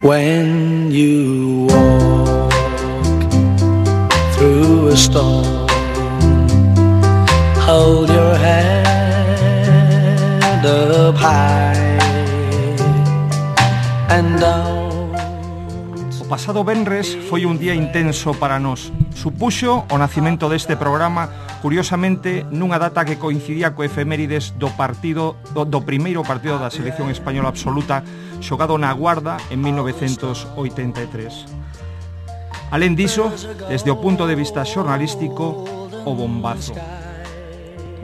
When you walk through a storm, hold your head up high and don't. O pasado venres foi un día intenso para nós. Supuxo o nacimento deste programa, curiosamente, nunha data que coincidía co efemérides do primeiro partido da selección española absoluta xogado na Guarda en 1983. Alén diso, desde o punto de vista xornalístico, o bombazo.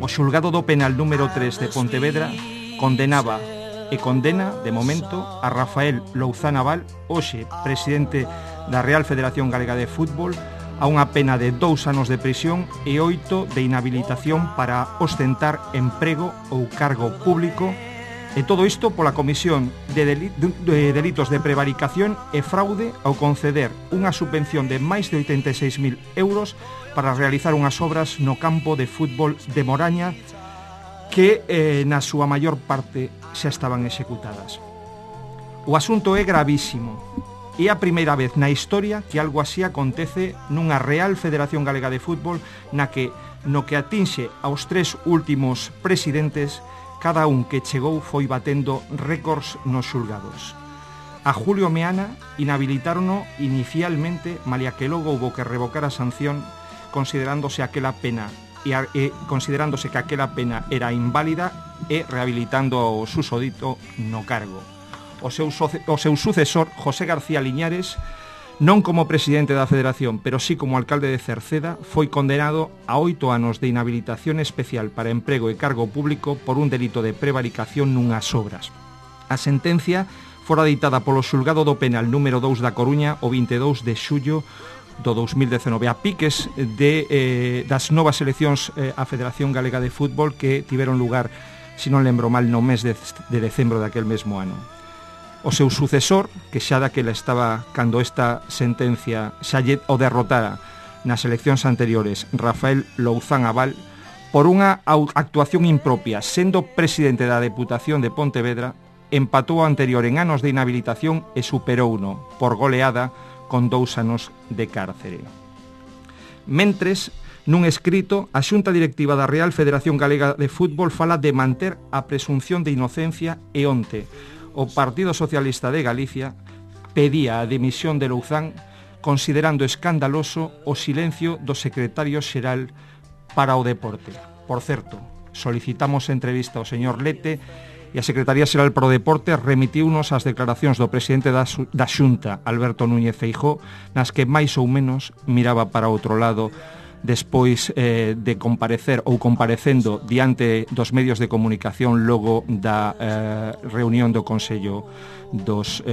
O xulgado do penal número 3 de Pontevedra condenaba e condena, de momento, a Rafael Louzán Abal, hoxe presidente da Real Federación Galega de Fútbol, a unha pena de 2 anos de prisión e 8 de inhabilitación para ostentar emprego ou cargo público, e todo isto pola comisión de delitos de prevaricación e fraude ao conceder unha subvención de máis de 86.000 euros para realizar unhas obras no campo de fútbol de Moraña que na súa maior parte xa estaban executadas. O asunto é gravísimo. É a primeira vez na historia que algo así acontece nunha Real Federación Galega de Fútbol no que atinxe aos 3 últimos presidentes, cada un que chegou foi batendo récords nos xulgados. A Julio Meana inhabilitárono inicialmente, malia que logo houbo que revocar a sanción, considerándose que aquela pena era inválida e rehabilitando o susodito no cargo. O seu sucesor, José García Liñares, non como presidente da Federación, pero sí como alcalde de Cerceda, foi condenado a 8 anos de inhabilitación especial para emprego e cargo público por un delito de prevaricación nunhas obras. A sentencia fora ditada polo xulgado do penal número 2 da Coruña o 22 de xullo do 2019, a piques das novas eleccións á Federación Galega de Fútbol que tiveron lugar, se non lembro mal, no mes de decembro daquel mesmo ano. O seu sucesor, que xa daquela estaba cando esta sentencia xa o derrotara nas eleccións anteriores, Rafael Louzán Abal, por unha actuación impropia, sendo presidente da Deputación de Pontevedra, empatou o anterior en anos de inhabilitación e superouno por goleada con 2 anos de cárcere. Mentres, nun escrito, a Xunta Directiva da Real Federación Galega de Fútbol fala de manter a presunción de inocencia e onte o Partido Socialista de Galicia pedía a dimisión de Louzán considerando escandaloso o silencio do secretario xeral para o deporte. Por certo, solicitamos entrevista ao señor Lete e a Secretaría Xeral para o Deporte remitiunos as declaracións do presidente da Xunta, Alberto Núñez Feijóo, nas que máis ou menos miraba para outro lado despois de comparecer ou comparecendo diante dos medios de comunicación logo da reunión do Consello dos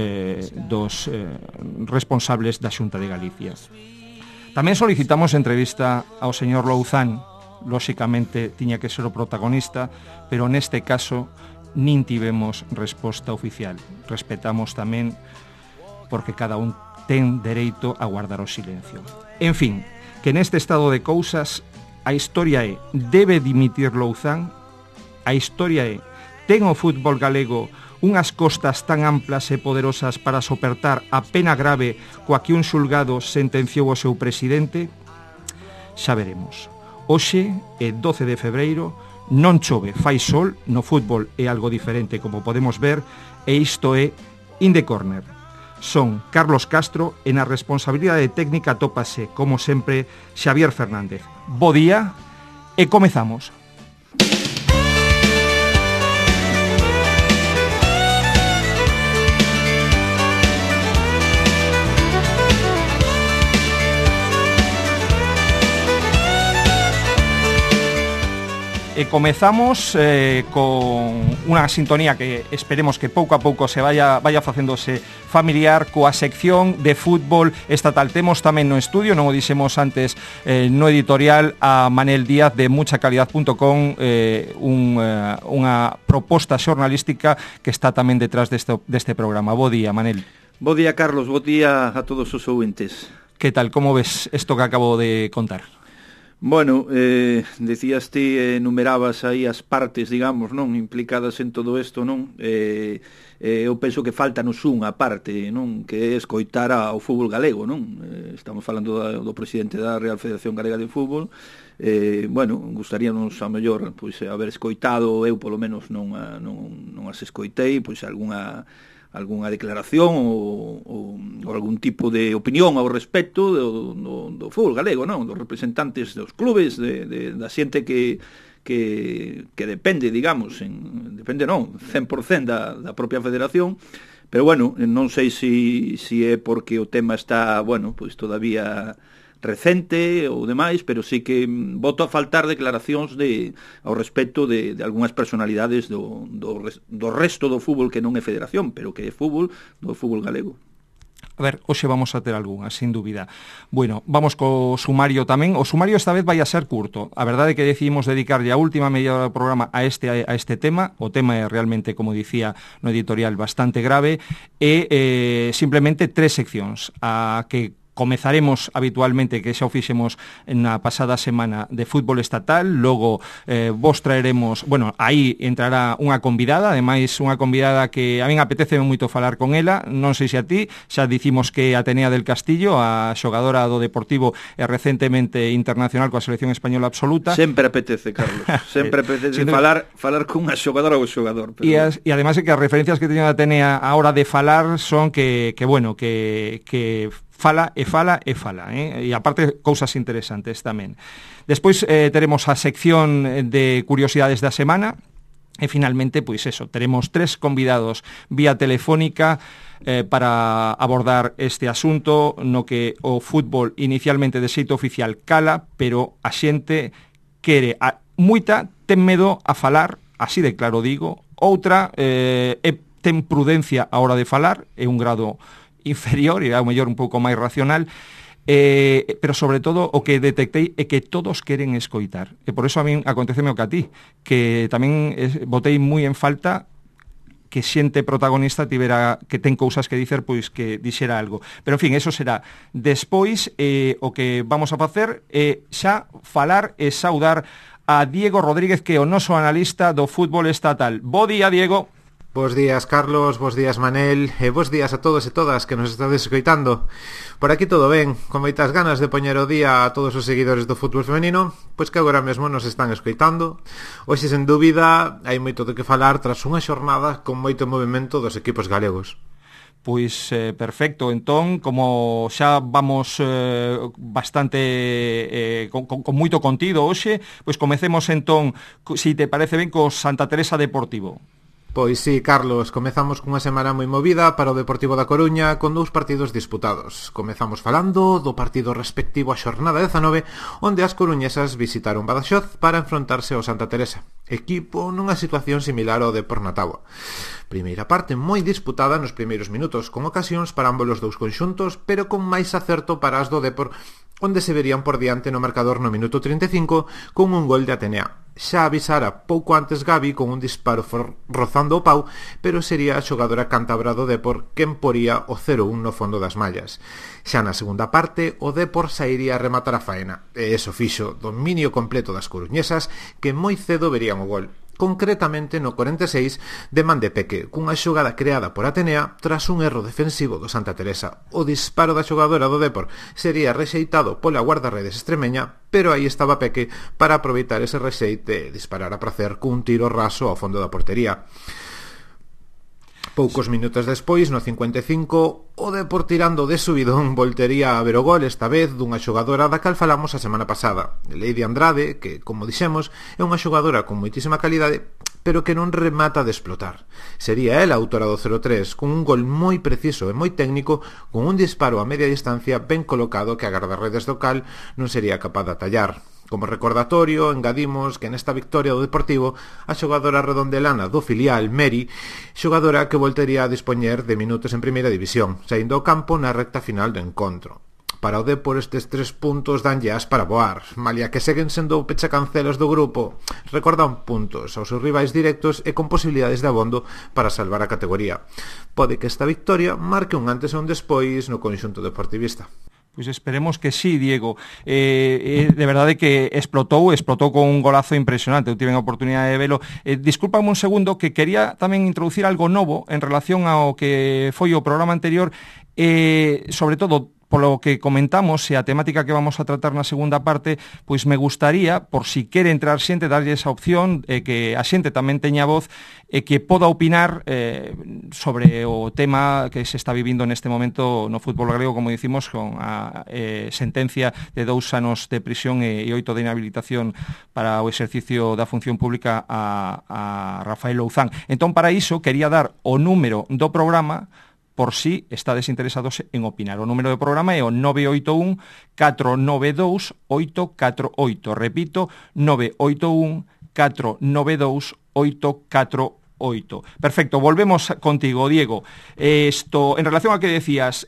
responsables da Xunta de Galicia. Tamén solicitamos entrevista ao señor Louzán, lóxicamente tiña que ser o protagonista, pero neste caso nin tivemos resposta oficial. Respetamos tamén porque cada un ten dereito a guardar o silencio. En fin, que neste estado de cousas a historia é: debe dimitir Louzán? A historia é: ten o fútbol galego unhas costas tan amplas e poderosas para soportar a pena grave coa que un xulgado sentenciou o seu presidente? Xa veremos. Hoxe é 12 de febreiro, non chove, fai sol, no fútbol é algo diferente, como podemos ver, e isto é In the Corner. Son Carlos Castro e na responsabilidade técnica tópase, como sempre, Xavier Fernández. Bo día e comezamos. E comezamos con unha sintonía que esperemos que pouco a pouco se vaya facéndose familiar coa sección de fútbol estatal. Temos tamén no estudio, non o dixemos antes no editorial, a Manel Díaz de muchacalidad.com, unha proposta xornalística que está tamén detrás deste programa. Bo día, Manel. Bo día, Carlos. Bo día a todos os ouvintes. Que tal, como ves isto que acabo de contar? Bueno, decías ti, enumerabas aí as partes, digamos, non, implicadas en todo isto, non? Eu penso que faltanos unha parte, non, que é escoitar ao fútbol galego, non? Estamos falando do presidente da Real Federación Galega de Fútbol. Bueno, gustaríanos a mellor pois haber escoitado, eu polo menos non as escoitei, pois algunha declaración ou algún tipo de opinión ao respecto do fútbol galego, non? Dos representantes dos clubes, da xente que depende, digamos, depende non, 100% da propia federación, pero bueno, non sei se é porque o tema está, bueno, pois todavía recente ou demais, pero sí que voto a faltar declaracións ao respecto de algunhas personalidades do resto do fútbol que non é federación, pero que é fútbol, do fútbol galego. A ver, hoxe vamos a ter algunha, sin dúbida. Bueno, vamos co sumario tamén. O sumario esta vez vai a ser curto. A verdade é que decidimos dedicarlle a última media hora do programa a este tema. O tema é realmente, como dicía no editorial, bastante grave. E simplemente 3 seccións. A que comezaremos habitualmente, que xa o fixemos na pasada semana, de fútbol estatal. Logo vos traeremos, bueno, aí entrará unha convidada, ademais unha convidada que a min apetece moito falar con ela, non sei se a ti, xa dicimos que Atenea del Castillo, a xogadora do Deportivo e recentemente internacional coa selección española absoluta. Sempre apetece, Carlos, sempre apetece falar con unha xogadora ou xogador. Pero... E ademais é que as referencias que teño de Atenea a hora de falar son que fala, e aparte cousas interesantes tamén. Despois teremos a sección de curiosidades da semana, e finalmente, pois eso, teremos 3 convidados vía telefónica para abordar este asunto no que o fútbol inicialmente de xeito oficial cala, pero a xente quere, moita ten medo a falar, así de claro digo, outra ten prudencia a hora de falar, é un grado inferior e ao mellor un pouco máis racional, pero sobre todo o que detectei é que todos queren escoitar, e por eso a min aconteceme o que a ti, que tamén botei moi en falta que xente protagonista tivera, que ten cousas que dicer, pois que dixera algo. Pero en fin, eso será despois. O que vamos a facer é xa falar e saudar a Diego Rodríguez, que é o noso analista do fútbol estatal. Bo día, Diego. Bos días, Carlos, bos días, Manel, e bos días a todos e todas que nos estades escoitando. Por aquí todo ben, con moitas ganas de poñer o día a todos os seguidores do fútbol femenino, pois que agora mesmo nos están escoitando. Hoxe, sen dúbida, hai moito de que falar tras unha xornada con moito movimento dos equipos galegos. Pois perfecto, entón, como xa vamos bastante con moito contido hoxe, pois comecemos entón, se te parece ben, co Santa Teresa Deportivo. Pois sí, Carlos, comezamos cunha semana moi movida para o Deportivo da Coruña con 2 partidos disputados. Comezamos falando do partido respectivo a xornada 19, onde as coruñesas visitaron Badaxoz para enfrontarse ao Santa Teresa, equipo nunha situación similar ao Depor na táboa. Primeira parte moi disputada nos primeiros minutos, con ocasións para ambos os dous conxuntos, pero con máis acerto para as do Depor, onde se verían por diante no marcador no minuto 35 con un gol de Atenea. Xa avisara pouco antes Gabi con un disparo rozando o pau, pero sería a xogadora cántabra do Depor quen poría o 0-1 no fondo das mallas. Xa na segunda parte, o Depor sairía a rematar a faena, e eso fixo dominio completo das coruñesas, que moi cedo verían o gol. Concretamente no 46 de man de Peque, cunha xogada creada por Atenea tras un erro defensivo do Santa Teresa. O disparo da xogadora do Depor sería rexeitado pola guardarredes extremeña, pero aí estaba Peque para aproveitar ese rexeite e disparar a pracer cun tiro raso ao fondo da portería. Poucos minutos despois, no 55, o Depor tirando de subidón voltería a ver o gol, esta vez dunha xogadora da cal falamos a semana pasada, Lady Andrade, que, como dixemos, é unha xogadora con moitísima calidade, pero que non remata de explotar. Sería ela a autora do 0-3, con un gol moi preciso e moi técnico, con un disparo a media distancia ben colocado que a guardarredes do cal non sería capaz de atallar. Como recordatorio, engadimos que nesta victoria do Deportivo a xogadora redondelana do filial, Meri, xogadora que voltería a dispoñer de minutos en primeira división, saindo ao campo na recta final do encontro. Para o Depor estes 3 puntos danlle as para voar, malia que seguen sendo o pechacancelos do grupo, recordan puntos aos seus rivais directos e con posibilidades de abondo para salvar a categoría. Pode que esta victoria marque un antes e un despois no conxunto deportivista. Pois esperemos que sí, Diego. De verdade que explotou con un golazo impresionante. Eu tive a oportunidade de velo. Discúlpame un segundo, que quería tamén introducir algo novo en relación ao que foi o programa anterior, sobre todo polo que comentamos e a temática que vamos a tratar na segunda parte, pois me gustaría, por si quere entrar xente, darlle esa opción, que a xente tamén teña voz e que poda opinar sobre o tema que se está vivindo neste momento no fútbol galego, como dicimos, con a sentencia de 2 anos de prisión e 8 de inhabilitación para o exercicio da función pública a Rafael Louzán. Entón, para iso, quería dar o número do programa por si estades interesados en opinar. O número do programa é o 981 492 848. Repito, 981 492 848. Perfecto, volvemos contigo, Diego. En relación a que decías,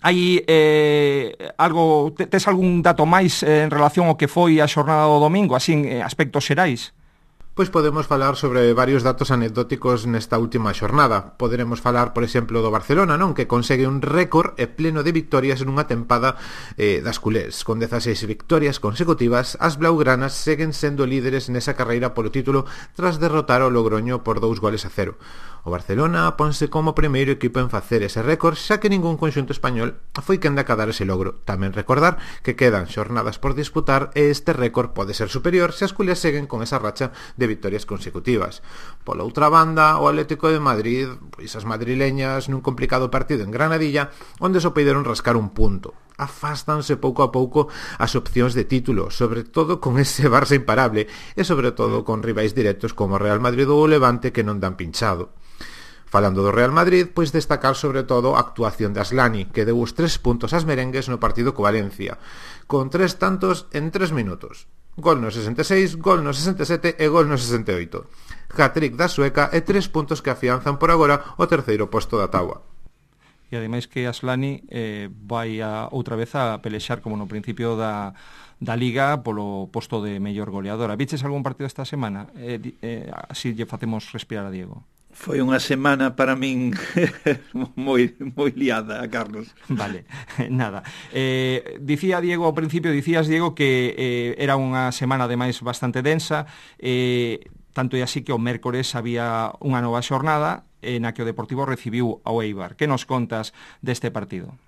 hai algo, tes algún dato máis en relación ao que foi a xornada do domingo, así en aspectos xerais? Pois podemos falar sobre varios datos anecdóticos nesta última xornada. Poderemos falar, por exemplo, do Barcelona, non? Que consegue un récord e pleno de victorias nunha tempada das culés. Con 16 victorias consecutivas, as blaugranas seguen sendo líderes nesa carreira polo título tras derrotar o Logroño por 2-0. O Barcelona ponse como primeiro equipo en facer ese récord, xa que ningún conxunto español foi quen de acadar ese logro. Tamén recordar que quedan xornadas por disputar e este récord pode ser superior se as culés seguen con esa racha de victorias consecutivas. Pola outra banda, o Atlético de Madrid, pois as madrileñas nun complicado partido en Granadilla, onde só puideron rascar un punto. Afástanse pouco a pouco as opcións de título, sobre todo con ese Barça imparable e sobre todo con rivais directos como Real Madrid ou o Levante que non dan pinchado. Falando do Real Madrid, pois destacar sobre todo a actuación de Aslani, que deu os 3 puntos ás merengues no partido co Valencia, con 3 tantos en 3 minutos. Gol no 66, gol no 67 e gol no 68. Hat-trick da sueca e 3 puntos que afianzan por agora o terceiro posto da táboa. E ademais que Aslani vai outra vez a pelexar como no principio da Liga polo posto de mellor goleadora. Viches algún partido esta semana? Así lle facemos respirar a Diego. Foi unha semana para min moi liada, Carlos. Vale, nada. Dicías, Diego, que era unha semana ademais bastante densa, tanto e así que o mércores había unha nova xornada na que o Deportivo recibiu ao Eibar. Que nos contas deste partido?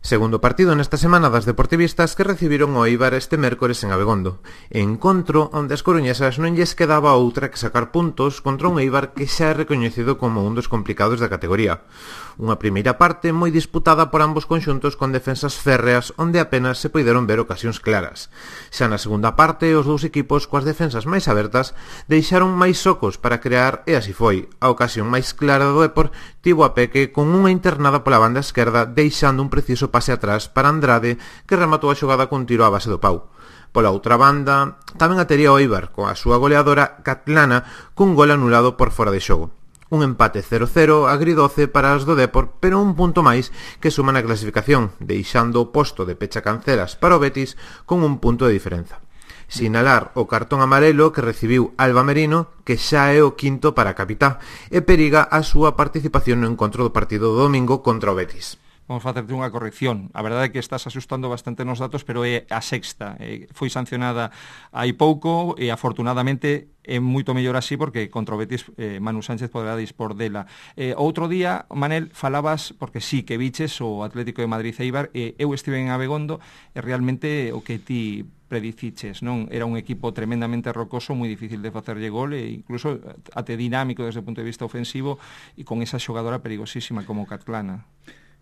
Segundo partido nesta semana das deportivistas que recibiron o Eibar este mércores en Abegondo. Encontro onde as coruñesas non lles quedaba outra que sacar puntos contra un Eibar que xa é recoñecido como un dos complicados da categoría. Unha primeira parte moi disputada por ambos conxuntos con defensas férreas onde apenas se poideron ver ocasións claras. Xa na segunda parte, os dous equipos coas defensas máis abertas deixaron máis socos para crear e así foi. A ocasión máis clara do Depor tivo a Peque con unha internada pola banda esquerda deixando un preciso pase atrás para Andrade que rematou a xogada cun tiro á base do pau. Pola outra banda, tamén a tería o Eibar coa súa goleadora Catlana cun gol anulado por fora de xogo. Un empate 0-0 agridoce para as do Depor, pero un punto máis que suman a clasificación, deixando o posto de pecha canceras para o Betis con un punto de diferenza. Sinalar o cartón amarelo que recibiu Alba Merino, que xa é o quinto para a capitá, e periga a súa participación no encontro do partido do domingo contra o Betis. Vamos facerte unha corrección. A verdade é que estás asustando bastante nos datos, pero é a sexta. Foi sancionada hai pouco e afortunadamente é moito mellor así porque contra o Betis Manu Sánchez poderá dispor dela. Outro día, Manel, falabas, porque sí que viches o Atlético de Madrid Eibar, eu estive en Abegondo e realmente o que ti prediciches, non? Era un equipo tremendamente rocoso, moi difícil de facerlle gol e incluso até dinámico desde o punto de vista ofensivo e con esa xogadora perigosísima como Catlana.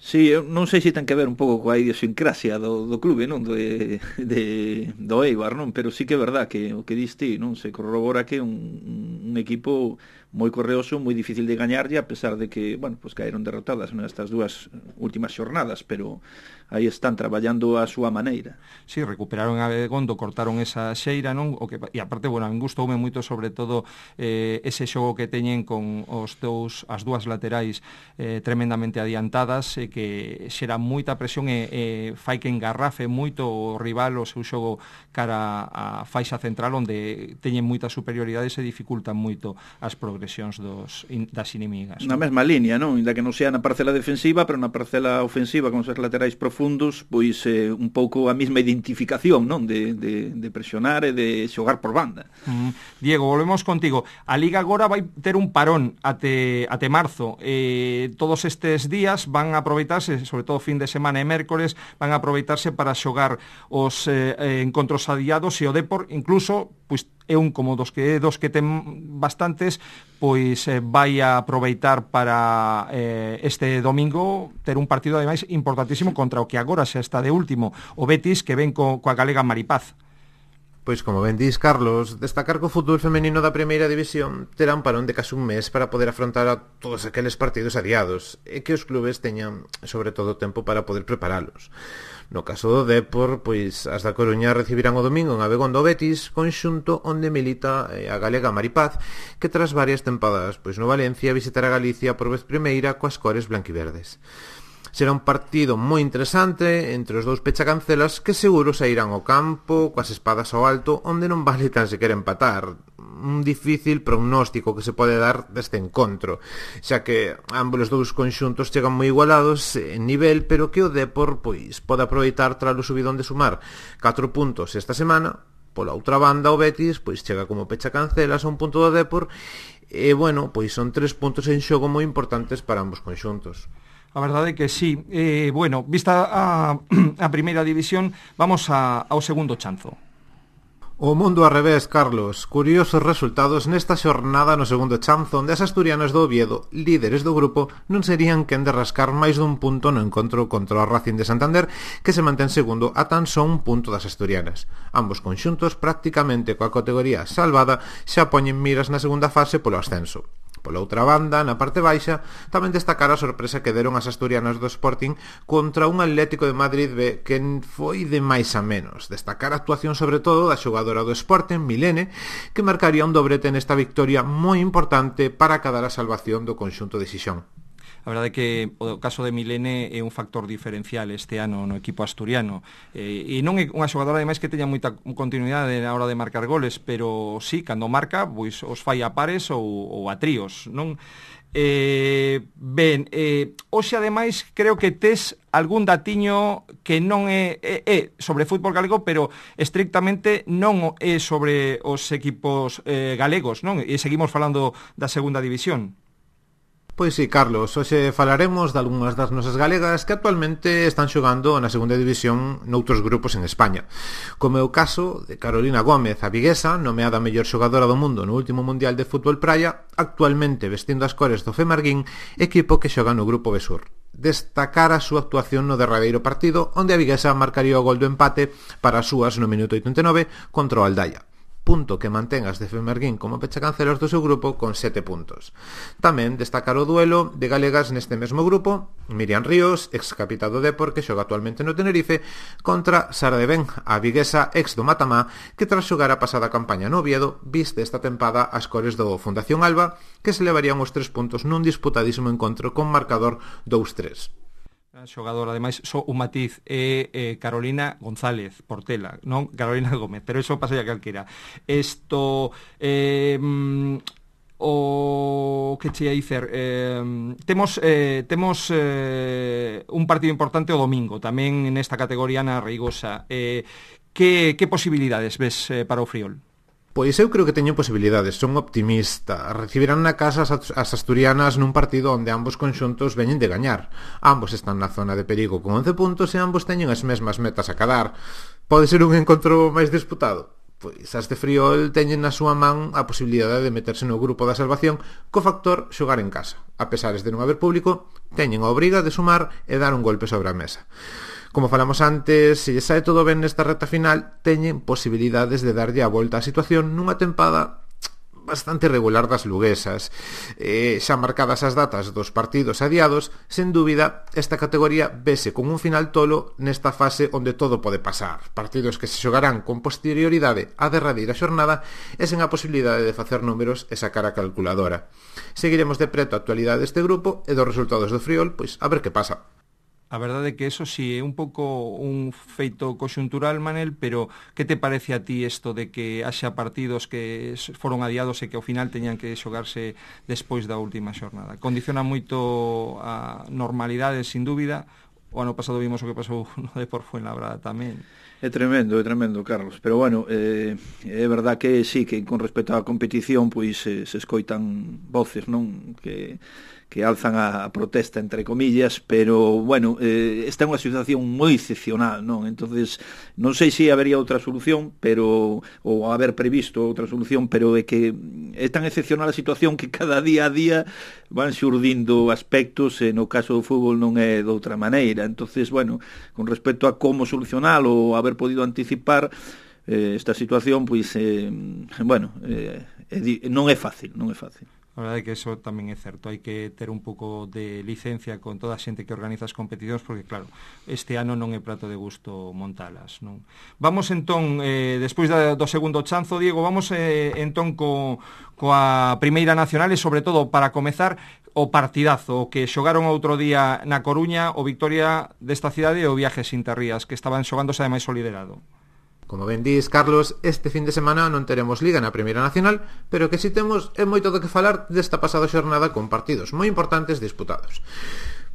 Sí, eu non sei se ten que ver un pouco coa idiosincrasia do clube, non? Do Eibar, non? Pero sí que é verdad que o que diste, non? Se corrobora que é un equipo moi correoso, moi difícil de gañarlle, a pesar de que, bueno, pues caeron derrotadas nestas dúas últimas xornadas, pero aí están traballando a súa maneira. Sí, recuperaron a Begondo, cortaron esa xeira, non? E aparte, bueno, a min gustoume moito sobre todo ese xogo que teñen con as dúas laterais tremendamente adiantadas, que xera moita presión e fai que engarrafe moito o rival o seu xogo cara a faixa central, onde teñen moitas superioridades e dificultan moito as progresións. progresións das inimigas. Na mesma liña, non? Inda que non sea na parcela defensiva, pero na parcela ofensiva, con os laterais profundos, pois un pouco a mesma identificación, non? De presionar e de xogar por banda. Diego, volvemos contigo. A Liga agora vai ter un parón até marzo. Todos estes días van a aproveitarse, sobre todo fin de semana e mércores, van a aproveitarse para xogar os encontros adiados e o Depor, incluso, pois é un como dos que ten bastantes, pois vai a aproveitar para este domingo ter un partido ademais importantísimo contra o que agora xa está de último, o Betis, que ven coa galega Maripaz. Pois como ben dis, Carlos, destacar que o fútbol femenino da primeira división terá un parón de case un mes para poder afrontar a todos aqueles partidos adiados e que os clubes teñan, sobre todo, tempo para poder preparalos. No caso do Depor, pois as da Coruña recibirán o domingo en Abegondo o Betis, conxunto onde milita a galega Maripaz, que tras varias tempadas pois no Valencia visitará Galicia por vez primeira coas cores blanquiverdes. Será un partido moi interesante entre os dous pechacancelas que seguro sairán ao campo coas espadas ao alto, onde non vale tan sequer empatar. Un difícil prognóstico que se pode dar deste encontro, xa que ambos os dous conxuntos chegan moi igualados en nivel, pero que o Depor pois pode aproveitar tras o subidón de sumar 4 puntos esta semana. Pola outra banda, o Betis pois chega como pechacancelas a un punto do Depor e, bueno, pois son 3 puntos en xogo moi importantes para ambos conxuntos. A verdade é que sí. Bueno, vista a primeira división, vamos ao segundo chanzo. O mundo ao revés, Carlos. Curiosos resultados nesta xornada no segundo chanzo, onde as asturianas do Oviedo, líderes do grupo, non serían quen de rascar máis dun punto no encontro contra o Racing de Santander, que se mantén segundo a tan só un punto das asturianas. Ambos conxuntos, prácticamente coa categoría salvada, xa poñen miras na segunda fase polo ascenso. Pola outra banda, na parte baixa, tamén destacar a sorpresa que deron as asturianas do Sporting contra un Atlético de Madrid B que foi de máis a menos. Destacar a actuación sobre todo da xogadora do Sporting, Milene, que marcaría un dobrete nesta victoria moi importante para acadar a salvación do conxunto de Xixón. A verdade é que o caso de Milene é un factor diferencial este ano no equipo asturiano, e non é unha xogadora ademais que teña moita continuidade na hora de marcar goles, pero sí, cando marca, pois os fai a pares ou a tríos, non? Hoxe ademais creo que tes algún datiño que non é sobre fútbol galego, pero estrictamente non é sobre os equipos galegos, non? E seguimos falando da segunda división. Pois sí, Carlos, hoxe falaremos de algunhas das nosas galegas que actualmente están xogando na segunda división noutros grupos en España, como é o caso de Carolina Gómez, a viguesa, nomeada a mellor xogadora do mundo no último Mundial de Fútbol Praia, actualmente vestindo as cores do Femarguín, equipo que xoga no grupo B-Sur. Destacar a súa actuación no derradeiro partido, onde a viguesa marcaría o gol do empate para as súas no minuto 89 contra o Aldaya, punto que mantén as de Femarguín como pechacancelas do seu grupo con 7 puntos. Tamén destacar o duelo de galegas neste mesmo grupo, Miriam Ríos, ex capitán do Depor, que xoga actualmente no Tenerife, contra Sara de Ben, a viguesa ex do Matamá, que tras xogar a pasada campaña no Oviedo, viste esta tempada as cores do Fundación Alba, que se levarían os 3 puntos nun disputadísimo encontro con marcador 2-3. Xogador, ademais, só un matiz é Carolina González Portela, non Carolina Gómez, pero eso pasa ya calquera. Isto o que che ia dicer, temos un partido importante o domingo, tamén nesta categoría na Reigosa. Que posibilidades ves para o Friol? Pois eu creo que teñen posibilidades, son optimista. Recibirán na casa as asturianas nun partido onde ambos conxuntos veñen de gañar. Ambos están na zona de perigo con 11 puntos e ambos teñen as mesmas metas a cadar. Pode ser un encontro máis disputado? Pois as de Friol teñen na súa man a posibilidade de meterse no grupo da salvación co factor xogar en casa. A pesares de non haber público, teñen a obriga de sumar e dar un golpe sobre a mesa. Como falamos antes, se lle sae todo ben nesta reta final, teñen posibilidades de darlle a volta á situación nunha tempada bastante regular das luguesas. Xa marcadas as datas dos partidos adiados, sen dúbida, esta categoría vese con un final tolo nesta fase onde todo pode pasar. Partidos que se xogarán con posterioridade á derradeira xornada e sen a posibilidade de facer números e sacar a calculadora. Seguiremos de preto a actualidade deste grupo e dos resultados do Friol, pois a ver que pasa. A verdade é que eso sí é un pouco un feito conxuntural, Manel, pero que te parece a ti isto de que haxa partidos que foron adiados e que ao final teñan que xogarse despois da última xornada? Condiciona moito a normalidade, sin dúbida. O ano pasado vimos o que pasou no Depor Fuenlabrada tamén. É tremendo, Carlos. Pero bueno, é verdad que sí, que con respecto á competición, pois se escoitan voces, non? Que alzan a protesta, entre comillas, pero, bueno, esta é unha situación moi excepcional, non? Entonces, non sei se habería outra solución, pero ou haber previsto outra solución, pero é que é tan excepcional a situación que cada día a día van xurdindo aspectos, e no caso do fútbol non é de outra maneira. Entonces, bueno, con respecto a como solucionar ou haber podido anticipar esta situación, pois, bueno, non é fácil. A verdade é que eso tamén é certo, hai que ter un pouco de licencia con toda a xente que organiza as competicións, porque claro, este ano non é prato de gusto montalas, non? Vamos entón, despois do segundo chanzo, Diego, vamos entón coa Primeira Nacional, e sobre todo para comezar o partidazo que xogaron outro día na Coruña, o Victoria desta cidade e o Viajes Interrías, que estaban xogándose ademais o liderado. Como ben dis, Carlos, este fin de semana non teremos Liga na Primeira Nacional, pero que si temos é moito do que falar desta pasada xornada con partidos moi importantes disputados.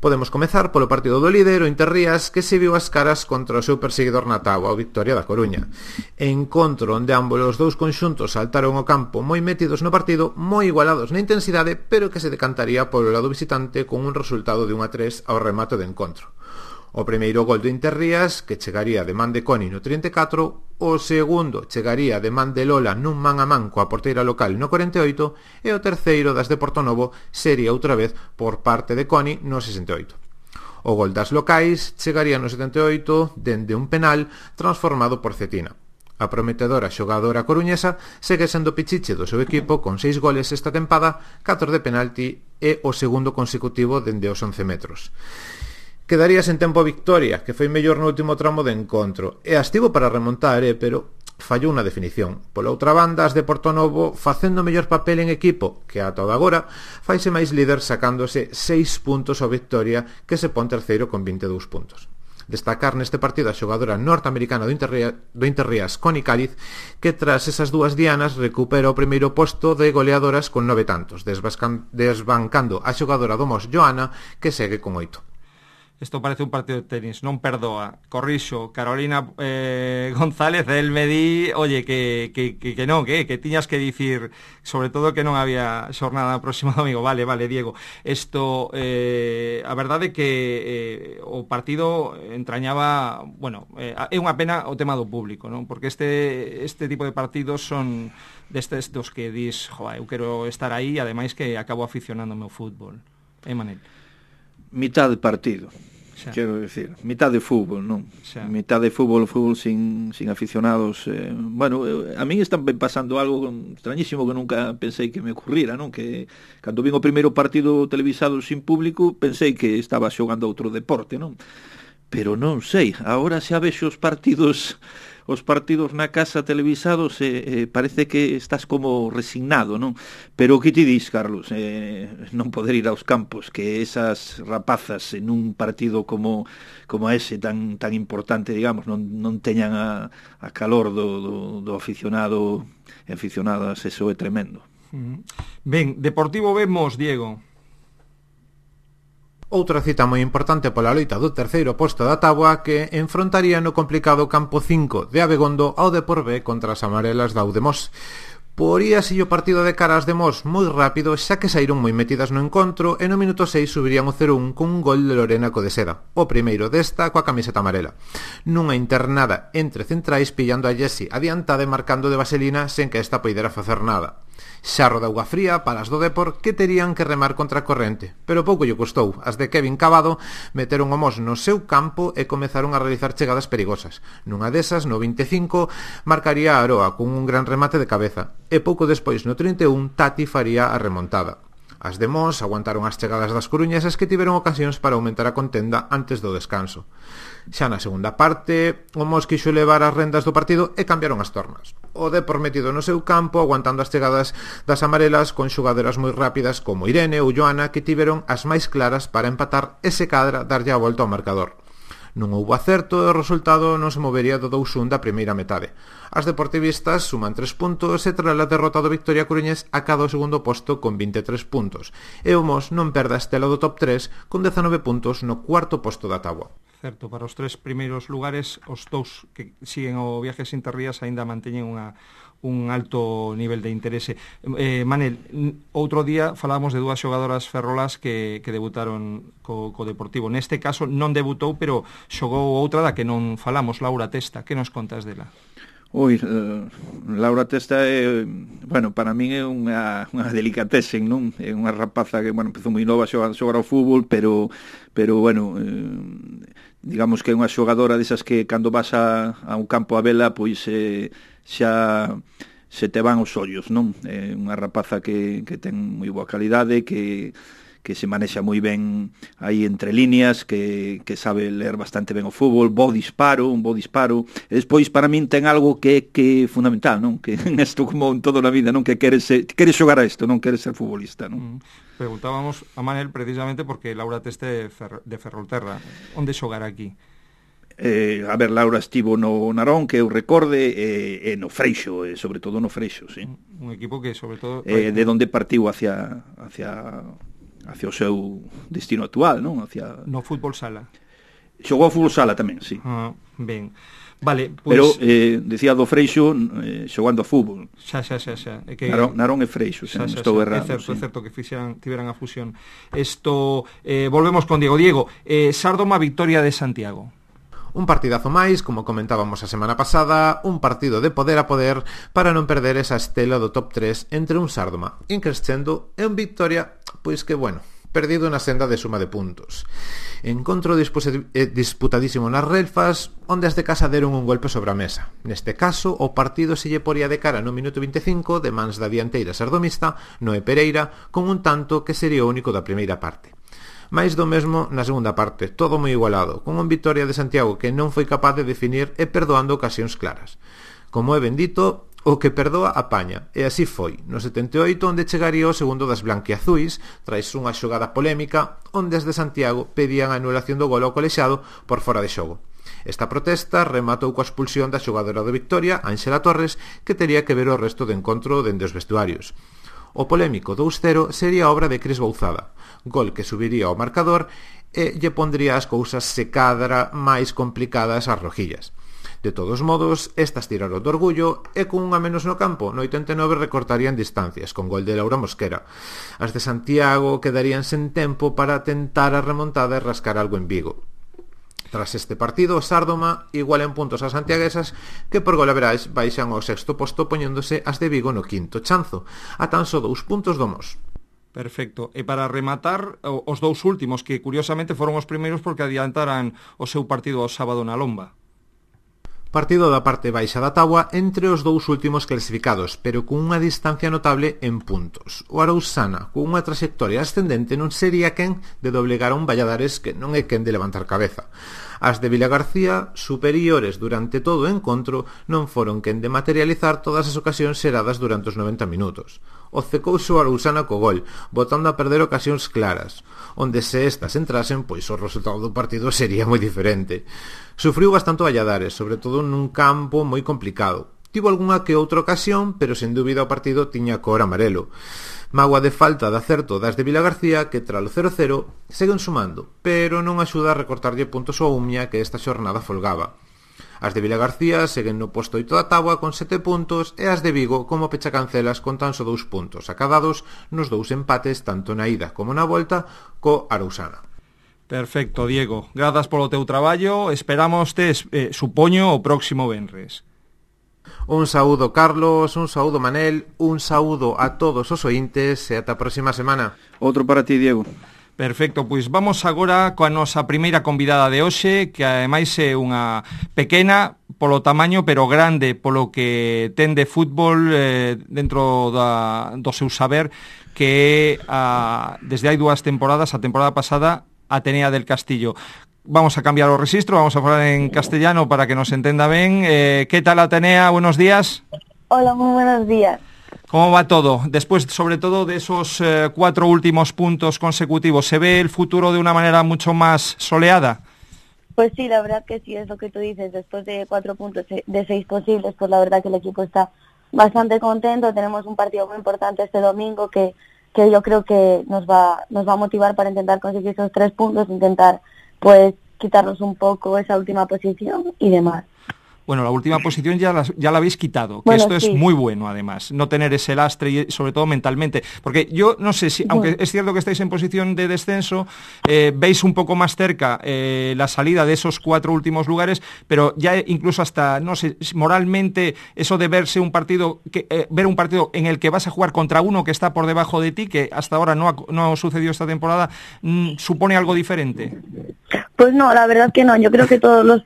Podemos comezar polo partido do líder, o Interrías, que se viu as caras contra o seu perseguidor na táboa, o Victoria da Coruña. Encontro onde ambos os dous conxuntos saltaron ao campo moi metidos no partido, moi igualados na intensidade, pero que se decantaría polo lado visitante con un resultado de 1-3 ao remate do encontro. O primeiro gol do Interrías, que chegaría de man de Coni no 34, o segundo chegaría de man de Lola nun man a man coa porteira local no 48, e o terceiro das de Portonovo sería outra vez por parte de Coni no 68. O gol das locais chegaría no 78 dende un penal transformado por Cetina. A prometedora xogadora coruñesa segue sendo pichiche do seu equipo con 6 goles esta tempada, 4 de penalti e o segundo consecutivo dende os 11 metros. Quedaría sen tempo a Victoria, que foi mellor no último tramo de encontro, e estivo para remontar, pero fallou na definición. Pola outra banda, as de Portonovo, facendo mellor papel en equipo, que ata o de agora, faise máis líder sacándose 6 puntos ao Victoria, que se pon terceiro con 22 puntos. Destacar neste partido a xogadora norteamericana do Interrías, Connie Cáliz, que tras esas dúas dianas recupera o primeiro posto de goleadoras con 9 tantos, desbancando a xogadora do Mos, Joana, que segue con 8. Isto parece un partido de tenis, non perdoa. Corrixo, Carolina González, el me di, oye, que non, que tiñas que dicir, sobre todo que non había xornada próximo domingo. Vale, Diego. Isto, a verdade é que o partido entrañaba, bueno, é unha pena o tema do público, non? Porque este tipo de partidos son destes dos que dis, joa, eu quero estar aí, ademais que acabo aficionándome ao fútbol. Manel? Mitad de partido, quero decir, mitad de fútbol, non? Mitad de fútbol sin aficionados. Bueno, a min están pasando algo extrañísimo que nunca pensei que me ocurrira, non? Que cando vin o primeiro partido televisado sin público, pensei que estaba xogando outro deporte, non? Pero non sei, agora xa vexo os partidos na casa televisados, parece que estás como resignado, non? Pero que ti dis, Carlos, non poder ir aos campos, que esas rapazas en un partido como ese tan importante, digamos, non teñan a calor do aficionado e aficionadas, eso é tremendo. Ben, Deportivo vemos, Diego. Outra cita moi importante pola loita do terceiro posto da táboa, que enfrontaría no complicado campo 5 de Abegondo ao Depor B contra as amarelas da Udemos. Poríase o partido de caras de Mos moi rápido, xa que saíron moi metidas no encontro, e no minuto 6 subirían o 0-1 con un gol de Lorena Codeseda, o primeiro desta coa camiseta amarela. Nunha internada entre centrais, pillando a Jessie adiantada e marcando de vaselina sen que esta poidera facer nada. Xarro de auga fría para as do Depor, que terían que remar contra a corrente, pero pouco lle custou. As de Kevin Cavado meteron o Mos no seu campo e comezaron a realizar chegadas perigosas. Nunha desas, no 25, marcaría a Aroa con un gran remate de cabeza, e pouco despois, no 31, Tati faría a remontada. As de Mos aguantaron as chegadas das coruñesas que tiveron ocasións para aumentar a contenda antes do descanso. Xa na segunda parte, o Mos quixo levar as rendas do partido e cambiaron as tornas. O Depor metido no seu campo, aguantando as chegadas das amarelas con xogadoras moi rápidas como Irene ou Joana, que tiveron as máis claras para empatar e se cadra darlle a volta ao marcador. Non houbo acerto e o resultado non se movería do 2-1 da primeira metade. As deportivistas suman 3 puntos e tras a derrota do Victoria Coruñés acada o segundo posto con 23 puntos. E o Mos non perde a estela do top 3 con 19 puntos no cuarto posto da táboa. Certo, para os 3 primeiros lugares, os 2 que siguen o Viajes Interrías aínda manteñen un alto nivel de interese. Manel, outro día falábamos de 2 xogadoras ferrolas que debutaron co Deportivo. Neste caso non debutou, pero xogou outra da que non falamos, Laura Testa. Que nos contas dela? Laura Testa é, bueno, para min é unha delicatessen, non? É unha rapaza que, bueno, empezou moi nova a xogar ao fútbol, pero bueno, digamos que é unha xogadora desas que cando vas a un campo a vela, pois xa se te van os ollos, non? É unha rapaza que ten moi boa calidade, que se manexa moi ben aí entre líneas, que sabe ler bastante ben o fútbol, un bo disparo, e despois para min ten algo que é fundamental, non? Que isto como en toda a vida, non? Que queres xogar a isto, non queres ser futbolista, non? Preguntábamos a Manel precisamente porque Laura Teste de Ferrolterra. Onde xogará aquí? A ver, Laura estivo no Narón, que eu recorde, e no Freixo, sobre todo no Freixo, sí. Un equipo que, sobre todo... de onde partiu hacia o seu destino actual, non? No fútbol sala. Xogou ao fútbol sala tamén, sí. Ben. Vale, pois... Pero, decía do Freixo, xogando a fútbol. Xa. Que... Narón e Freixo, xa, estou errado. É certo que tiveran a fusión. Volvemos con Diego. Sárdoma, Victoria de Santiago. Un partidazo máis, como comentábamos a semana pasada, un partido de poder a poder para non perder esa estela do top 3 entre un Sárdoma increscendo e un Victoria, pois que, bueno, perdido na senda de suma de puntos. Encontro disputadísimo nas relfas, onde as de casa deron un golpe sobre a mesa. Neste caso, o partido se lle poría de cara no minuto 25 de mans da dianteira sardomista, Noé Pereira, con un tanto que sería o único da primeira parte. Mais do mesmo na segunda parte, todo moi igualado, con un Victoria de Santiago que non foi capaz de definir e perdoando ocasións claras. Como é bendito, o que perdoa apaña, e así foi, no 78 onde chegaría o segundo das blanquiazuis, tras unha xogada polémica, onde as de Santiago pedían a anulación do gol ao colexiado por fora de xogo. Esta protesta rematou coa expulsión da xogadora de Victoria, Ángela Torres, que tería que ver o resto do encontro dende os vestuarios. O polémico 2-0 sería obra de Cris Bouzada, gol que subiría ao marcador e lle pondría as cousas se cadra máis complicadas ás rojillas. De todos modos, estas tiraron do orgullo e con unha menos no campo, no 89 recortarían distancias, con gol de Laura Mosquera. As de Santiago quedarían sen tempo para tentar a remontada e rascar algo en Vigo. Tras este partido, Sárdoma iguala en puntos as santiaguesas que por golaveraxe baixan ao sexto posto poñéndose as de Vigo no quinto chanzo, a tan só 2 puntos do Mos. Perfecto. E para rematar, os 2 últimos, que curiosamente foron os primeiros porque adiantaran o seu partido ao sábado na Lomba. Partido da parte baixa da táboa entre os 2 últimos clasificados, pero con unha distancia notable en puntos. O Arausana, con unha trayectoria ascendente, non sería quen de doblegar a un Valladares que non é quen de levantar cabeza. As de Vilagarcía, superiores durante todo o encontro, non foron quen de materializar todas as ocasións xeradas durante os 90 minutos. Ocecouse o Arausana co gol, botando a perder ocasións claras, onde se estas entrasen, pois o resultado do partido sería moi diferente. Sufriu bastante o Valladares, sobre todo nun campo moi complicado. Tivo algunha que outra ocasión, pero sen dúbida o partido tiña cor amarelo. Mágoa de falta de acerto das de Vilagarcía que tralo 0-0 seguen sumando, pero non axuda a recortarlle puntos ao Umia que esta xornada folgaba. As de Vilagarcía seguen no posto 8 da táboa con 7 puntos e as de Vigo como pechacancelas con tan só 2 puntos acadados nos 2 empates tanto na ida como na volta co Arausana. Perfecto, Diego. Grazas polo teu traballo. Esperamos supoño, o próximo venres. Un saúdo, Carlos, un saúdo, Manel, un saúdo a todos os ointes e ata a próxima semana. Outro para ti, Diego. Perfecto, pois vamos agora coa nosa primeira convidada de hoxe, que ademais é unha pequena polo tamaño, pero grande polo que ten de fútbol dentro do seu saber, que desde hai 2 temporadas, a temporada pasada, Atenea del Castillo. Vamos a cambiar o registro, vamos a falar en castellano para que nos entenda ben. ¿Qué tal, Atenea? Buenos días. Hola, muy buenos días. ¿Cómo va todo? Después, sobre todo, de esos 4 últimos puntos consecutivos, ¿se ve el futuro de una manera mucho más soleada? Pues sí, la verdad que sí, es lo que tú dices. Después de 4 puntos de 6 posibles, pues la verdad que el equipo está bastante contento. Tenemos un partido muy importante este domingo que yo creo que nos va a motivar para intentar conseguir esos 3 puntos, intentar pues quitarnos un poco esa última posición y demás. Bueno, la última posición ya la habéis quitado, que bueno, esto sí. Es muy bueno, además, no tener ese lastre y sobre todo mentalmente, porque yo no sé si, aunque es cierto que estáis en posición de descenso, veis un poco más cerca la salida de esos 4 últimos lugares, pero ya incluso hasta, no sé, moralmente, eso de ver un partido en el que vas a jugar contra uno que está por debajo de ti, que hasta ahora no ha sucedido esta temporada, ¿supone algo diferente? Pues no, la verdad que no, yo creo que todos los...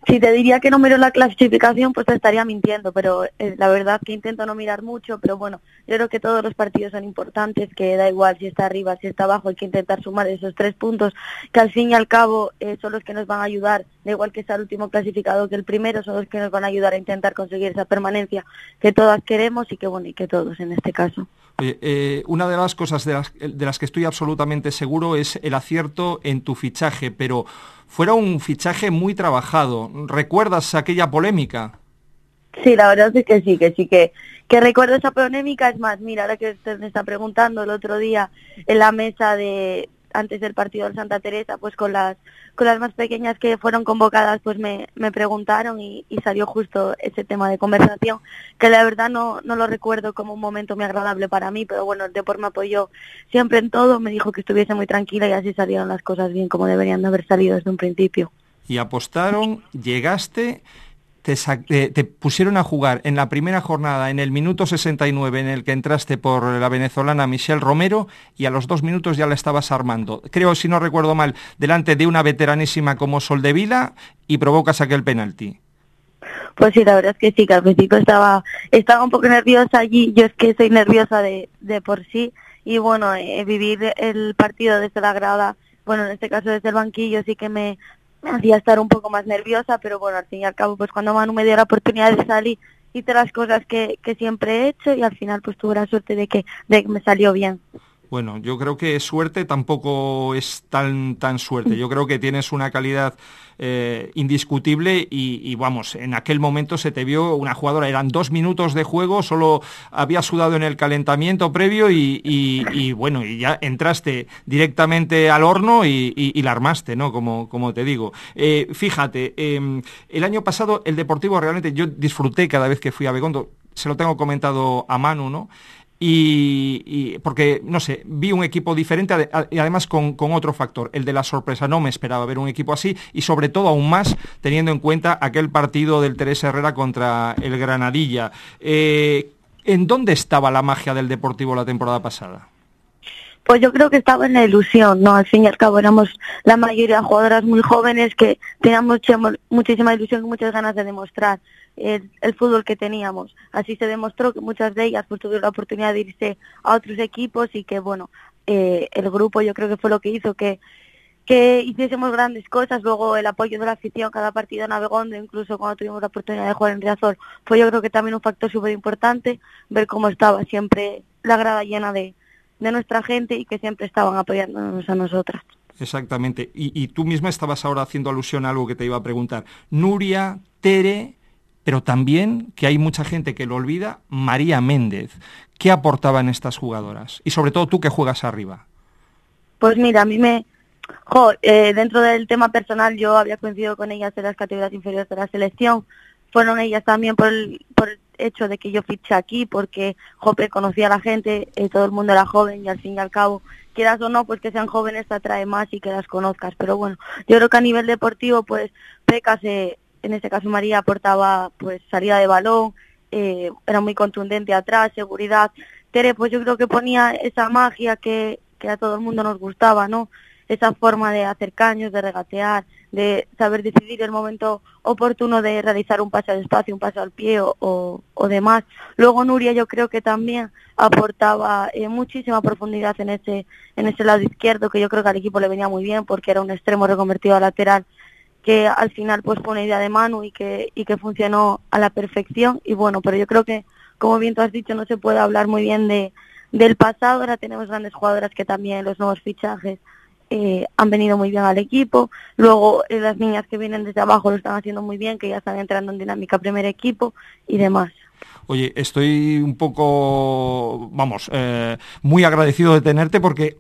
Si te diría que no miro la clasificación, pues te estaría mintiendo, pero la verdad que intento no mirar mucho, pero bueno, yo creo que todos los partidos son importantes, que da igual si está arriba, si está abajo, hay que intentar sumar esos 3 puntos, que al fin y al cabo son los que nos van a ayudar, da igual que sea el último clasificado que el primero, son los que nos van a ayudar a intentar conseguir esa permanencia que todas queremos y que todos en este caso. Oye, una de las cosas de las que estoy absolutamente seguro es el acierto en tu fichaje, pero fuera un fichaje muy trabajado. ¿Recuerdas aquella polémica? Sí, la verdad es que sí, que recuerdo esa polémica. Es más, mira, ahora que usted me está preguntando, el otro día en la mesa antes del partido del Santa Teresa, pues con las más pequeñas que fueron convocadas, pues me preguntaron y salió justo ese tema de conversación, que la verdad no lo recuerdo como un momento muy agradable para mí, pero bueno, el Depor me apoyó siempre en todo, me dijo que estuviese muy tranquila y así salieron las cosas bien como deberían de haber salido desde un principio. Y apostaron, llegaste... Te pusieron a jugar en la primera jornada, en el minuto 69, en el que entraste por la venezolana Michelle Romero, y a los 2 minutos ya la estabas armando. Creo, si no recuerdo mal, delante de una veteranísima como Soldevila, y provocas aquel penalti. Pues sí, la verdad es que sí, que al principio estaba un poco nerviosa allí. Yo es que soy nerviosa de por sí, y bueno, vivir el partido desde la grada, bueno, en este caso desde el banquillo, sí que me hacía estar un poco más nerviosa, pero bueno, al fin y al cabo, pues cuando Manu me dio la oportunidad de salir, hice las cosas que siempre he hecho y al final pues tuve la suerte de que me salió bien. Bueno, yo creo que suerte tampoco es tan suerte. Yo creo que tienes una calidad indiscutible y vamos, en aquel momento se te vio una jugadora, eran 2 minutos de juego, solo había sudado en el calentamiento previo y bueno, y ya entraste directamente al horno y la armaste, ¿no? Como te digo. Fíjate, el año pasado el Deportivo realmente yo disfruté cada vez que fui a Begondo, se lo tengo comentado a Manu, ¿no? Y porque, no sé, vi un equipo diferente y además con otro factor, el de la sorpresa. No me esperaba ver un equipo así y sobre todo aún más teniendo en cuenta aquel partido del Teresa Herrera contra el Granadilla. ¿En dónde estaba la magia del Deportivo la temporada pasada? Pues yo creo que estaba en la ilusión, ¿no? Al fin y al cabo éramos la mayoría de jugadoras muy jóvenes que teníamos muchísima ilusión y muchas ganas de demostrar el fútbol que teníamos. Así se demostró que muchas de ellas pues tuvieron la oportunidad de irse a otros equipos y que, bueno, el grupo yo creo que fue lo que hizo que hiciésemos grandes cosas. Luego el apoyo de la afición cada partido en Abegondo, incluso cuando tuvimos la oportunidad de jugar en Riazor, fue yo creo que también un factor súper importante, ver cómo estaba siempre la grada llena de nuestra gente y que siempre estaban apoyándonos a nosotras. Exactamente, y tú misma estabas ahora haciendo alusión a algo que te iba a preguntar. Nuria, Tere, pero también, que hay mucha gente que lo olvida, María Méndez. ¿Qué aportaban estas jugadoras? Y sobre todo tú que juegas arriba. Pues mira, a mí dentro del tema personal yo había coincidido con ellas en las categorías inferiores de la selección. Fueron ellas también por el hecho de que yo fiché aquí, porque conocía a la gente, todo el mundo era joven y al fin y al cabo, quieras o no, pues que sean jóvenes te atrae más y que las conozcas. Pero bueno, yo creo que a nivel deportivo, pues Pecas, en este caso María, aportaba pues salida de balón, era muy contundente atrás, seguridad. Tere, pues yo creo que ponía esa magia que a todo el mundo nos gustaba, ¿no? Esa forma de hacer caños, de regatear, de saber decidir el momento oportuno de realizar un pase al espacio, un pase al pie o demás. Luego Nuria yo creo que también aportaba muchísima profundidad en ese lado izquierdo, que yo creo que al equipo le venía muy bien porque era un extremo reconvertido a lateral, que al final pues fue una idea de Manu y que funcionó a la perfección. Y bueno, pero yo creo que, como bien tú has dicho, no se puede hablar muy bien del pasado. Ahora tenemos grandes jugadoras que también los nuevos fichajes han venido muy bien al equipo. Luego las niñas que vienen desde abajo lo están haciendo muy bien, que ya están entrando en dinámica primer equipo y demás. Oye, estoy un poco, muy agradecido de tenerte porque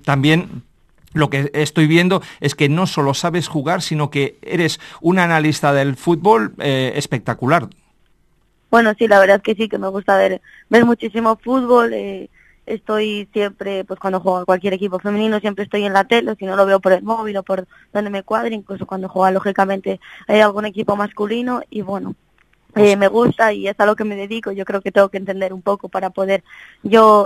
también lo que estoy viendo es que no solo sabes jugar, sino que eres un analista del fútbol espectacular. Bueno, sí, la verdad es que sí, que me gusta ver muchísimo fútbol. Estoy siempre, pues cuando juego en cualquier equipo femenino, siempre estoy en la tele, si no lo veo por el móvil o por donde me cuadre, incluso cuando juega, lógicamente, hay algún equipo masculino y bueno, me gusta y es a lo que me dedico. Yo creo que tengo que entender un poco para poder yo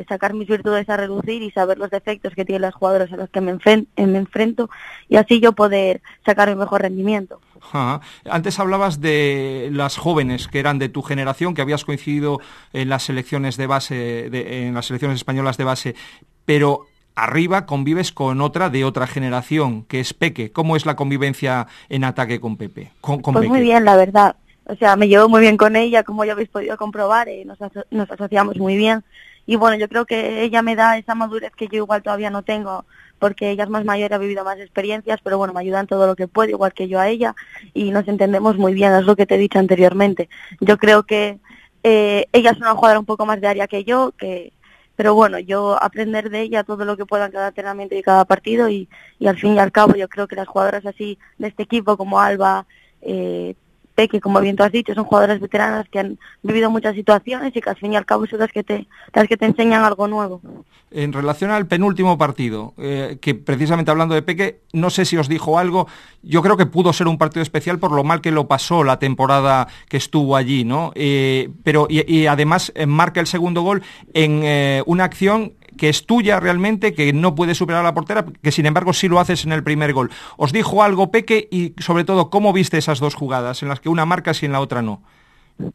sacar mis virtudes a relucir y saber los defectos que tienen las jugadoras a los que me enfrento y así yo poder sacar mi mejor rendimiento. Ajá. Antes hablabas de las jóvenes que eran de tu generación, que habías coincidido en las selecciones de base, en las selecciones españolas de base, pero arriba convives con otra de otra generación, que es Peque. ¿Cómo es la convivencia en ataque con Pepe? Con pues Peque. Muy bien, la verdad. O sea, me llevo muy bien con ella, como ya habéis podido comprobar, nos asociamos muy bien. Y bueno, yo creo que ella me da esa madurez que yo igual todavía no tengo, porque ella es más mayor, ha vivido más experiencias, pero bueno, me ayuda en todo lo que puede, igual que yo a ella, y nos entendemos muy bien, es lo que te he dicho anteriormente. Yo creo que ella es una jugadora un poco más de área que yo, pero bueno, yo aprender de ella todo lo que pueda en cada entrenamiento y cada partido, y al fin y al cabo yo creo que las jugadoras así de este equipo, como Alba, Peque, como bien tú has dicho, son jugadoras veteranas que han vivido muchas situaciones y que al fin y al cabo son las que te enseñan algo nuevo. En relación al penúltimo partido, que precisamente hablando de Peque, no sé si os dijo algo, yo creo que pudo ser un partido especial por lo mal que lo pasó la temporada que estuvo allí, ¿no? Pero además marca el segundo gol en una acción que es tuya realmente, que no puede superar a la portera, que sin embargo sí lo haces en el primer gol. ¿Os dijo algo Peque y sobre todo cómo viste esas dos jugadas en las que una marcas y en la otra no?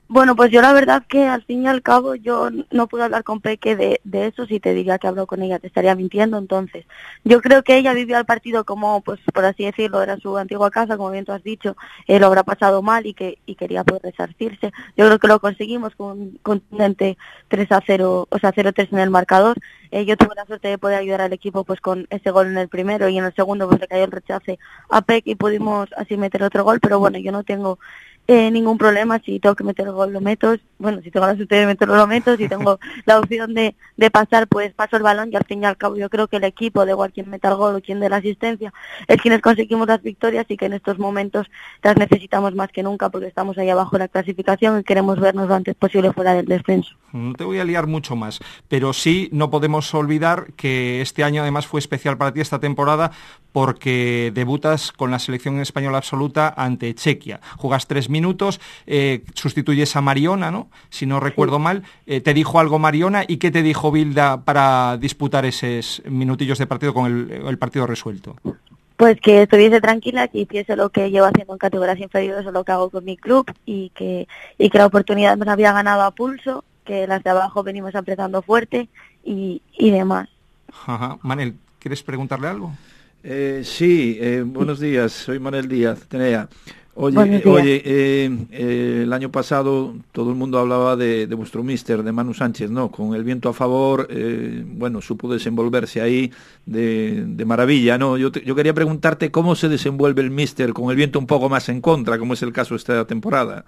Bueno, pues yo la verdad que al fin y al cabo yo no pude hablar con Peque de eso. Si te diría que hablo con ella te estaría mintiendo. Entonces yo creo que ella vivió el partido como, pues por así decirlo, era su antigua casa, como bien tú has dicho, lo habrá pasado mal y quería poder resarcirse. Yo creo que lo conseguimos con un contundente 3-0, o sea 0-3 en el marcador. Yo tuve la suerte de poder ayudar al equipo pues con ese gol en el primero, y en el segundo pues le cayó el rechace a Peque y pudimos así meter otro gol. Pero bueno, yo no tengo ningún problema. Si tengo que meter el gol lo meto, bueno, si tengo la suerte de meterlo lo meto, si tengo la opción de pasar, pues paso el balón, y al fin y al cabo yo creo que el equipo, de igual quien meta el gol o quien dé la asistencia, es quienes conseguimos las victorias, y que en estos momentos las necesitamos más que nunca porque estamos ahí abajo en la clasificación y queremos vernos lo antes posible fuera del descenso. No te voy a liar mucho más, pero sí no podemos olvidar que este año además fue especial para ti, esta temporada, porque debutas con la selección española absoluta ante Chequia. Jugas 3 minutos, sustituyes a Mariona, ¿no? Si no recuerdo mal. ¿Te dijo algo Mariona y qué te dijo Bilda para disputar esos minutillos de partido con el partido resuelto? Pues que estuviese tranquila, que hiciese lo que llevo haciendo en categorías inferiores o lo que hago con mi club, y que la oportunidad nos había ganado a pulso, que las de abajo venimos apretando fuerte y demás. Ajá. Manel, ¿quieres preguntarle algo? Sí, buenos días, soy Manuel Díaz, Tenea. Oye, el año pasado todo el mundo hablaba de vuestro míster, de Manu Sánchez, ¿no? Con el viento a favor, bueno, supo desenvolverse ahí de maravilla, ¿no? Yo quería preguntarte cómo se desenvuelve el míster con el viento un poco más en contra, como es el caso esta temporada.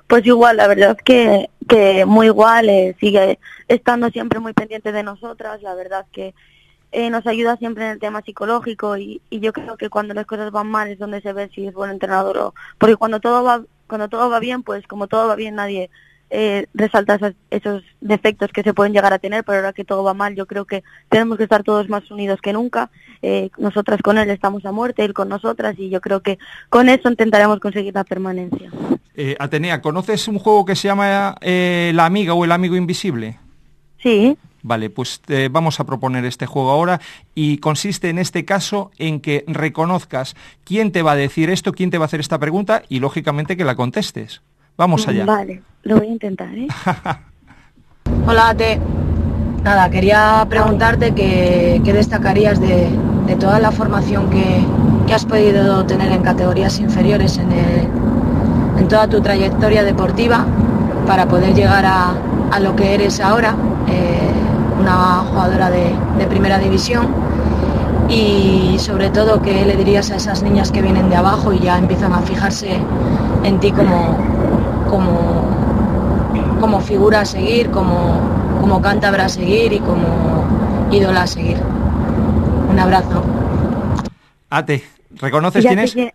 Pues igual, la verdad que muy igual, sigue estando siempre muy pendiente de nosotras. La verdad que nos ayuda siempre en el tema psicológico, y yo creo que cuando las cosas van mal es donde se ve si es buen entrenador o... Porque cuando todo va bien, pues como todo va bien nadie resalta esos defectos que se pueden llegar a tener, pero ahora que todo va mal yo creo que tenemos que estar todos más unidos que nunca. Nosotras con él estamos a muerte, él con nosotras, y yo creo que con eso intentaremos conseguir la permanencia. Atenea, ¿conoces un juego que se llama La Amiga o El Amigo Invisible? Sí. Vale, pues vamos a proponer este juego ahora y consiste en este caso en que reconozcas quién te va a decir esto, quién te va a hacer esta pregunta y lógicamente que la contestes. Vamos allá. Vale, lo voy a intentar, ¿eh? Hola, Ate. Nada, quería preguntarte qué destacarías de toda la formación que has podido tener en categorías inferiores en toda tu trayectoria deportiva para poder llegar a lo que eres ahora, una jugadora de primera división, y sobre todo qué le dirías a esas niñas que vienen de abajo y ya empiezan a fijarse en ti como figura a seguir, como cántabra a seguir y como ídola a seguir. Un abrazo. Ate, ¿reconoces quién es? Sí,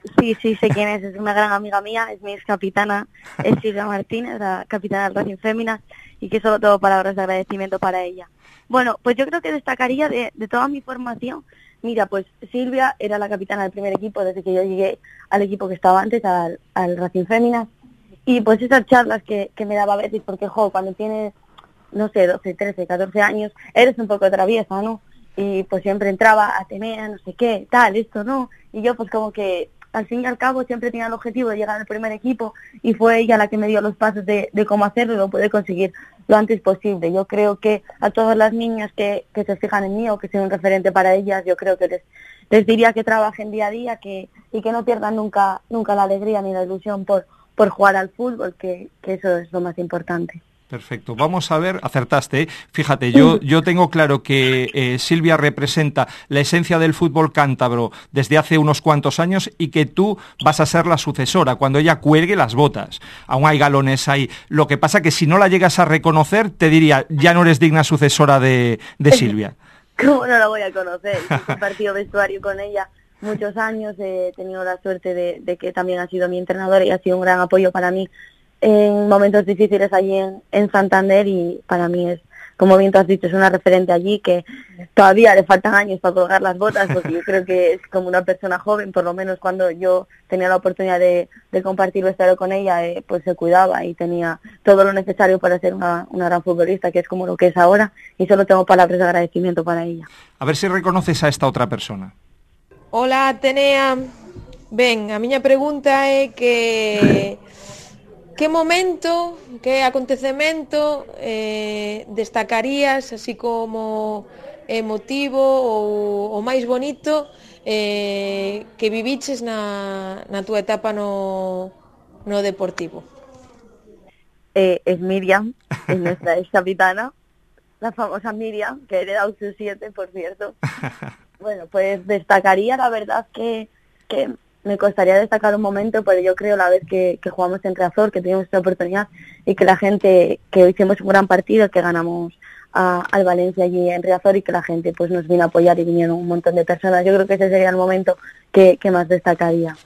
sé quién es una gran amiga mía, es mi ex capitana, es Silvia Martínez, la capitana del Racing Féminas, y que solo tengo palabras de agradecimiento para ella. Bueno, pues yo creo que destacaría de toda mi formación. Mira, pues Silvia era la capitana del primer equipo desde que yo llegué al equipo que estaba antes, al Racing Féminas, y pues esas charlas que me daba a veces, porque cuando tienes, no sé, 12, 13, 14 años, eres un poco traviesa, ¿no? Y pues siempre entraba Atenea, no sé qué, tal, esto, ¿no? Y yo pues como que al fin y al cabo siempre tenía el objetivo de llegar al primer equipo y fue ella la que me dio los pasos de cómo hacerlo y lo pude conseguir lo antes posible. Yo creo que a todas las niñas que se fijan en mí o que sean un referente para ellas, yo creo que les diría que trabajen día a día y que no pierdan nunca la alegría ni la ilusión por jugar al fútbol, que eso es lo más importante. Perfecto, vamos a ver, acertaste, ¿eh? Fíjate, yo tengo claro que Silvia representa la esencia del fútbol cántabro desde hace unos cuantos años y que tú vas a ser la sucesora cuando ella cuelgue las botas. Aún hay galones ahí. Lo que pasa que si no la llegas a reconocer, te diría, ya no eres digna sucesora de Silvia. ¿Cómo no la voy a conocer? He compartido vestuario con ella muchos años, he tenido la suerte de que también ha sido mi entrenadora y ha sido un gran apoyo para mí en momentos difíciles allí en Santander, y para mí es, como bien tú has dicho, es una referente allí que todavía le faltan años para colgar las botas, porque yo creo que es como una persona joven, por lo menos cuando yo tenía la oportunidad de compartir vestuario con ella, pues se cuidaba y tenía todo lo necesario para ser una gran futbolista, que es como lo que es ahora, y solo tengo palabras de agradecimiento para ella. A ver si reconoces a esta otra persona. Hola, Atenea. Ben, a miña pregunta é que momento, que acontecemento destacarías así como emotivo ou o máis bonito que viviches na túa etapa no Deportivo? Es Miriam, es nuestra ex capitana, la famosa Miriam, que hereda sus 7, por cierto. Bueno, pues destacaría, la verdad que me costaría destacar un momento, pero yo creo la vez que jugamos en Riazor, que tuvimos esta oportunidad y que la gente, que hicimos un gran partido, que ganamos al Valencia allí en Riazor y que la gente pues nos vino a apoyar y vinieron un montón de personas. Yo creo que ese sería el momento que más destacaría.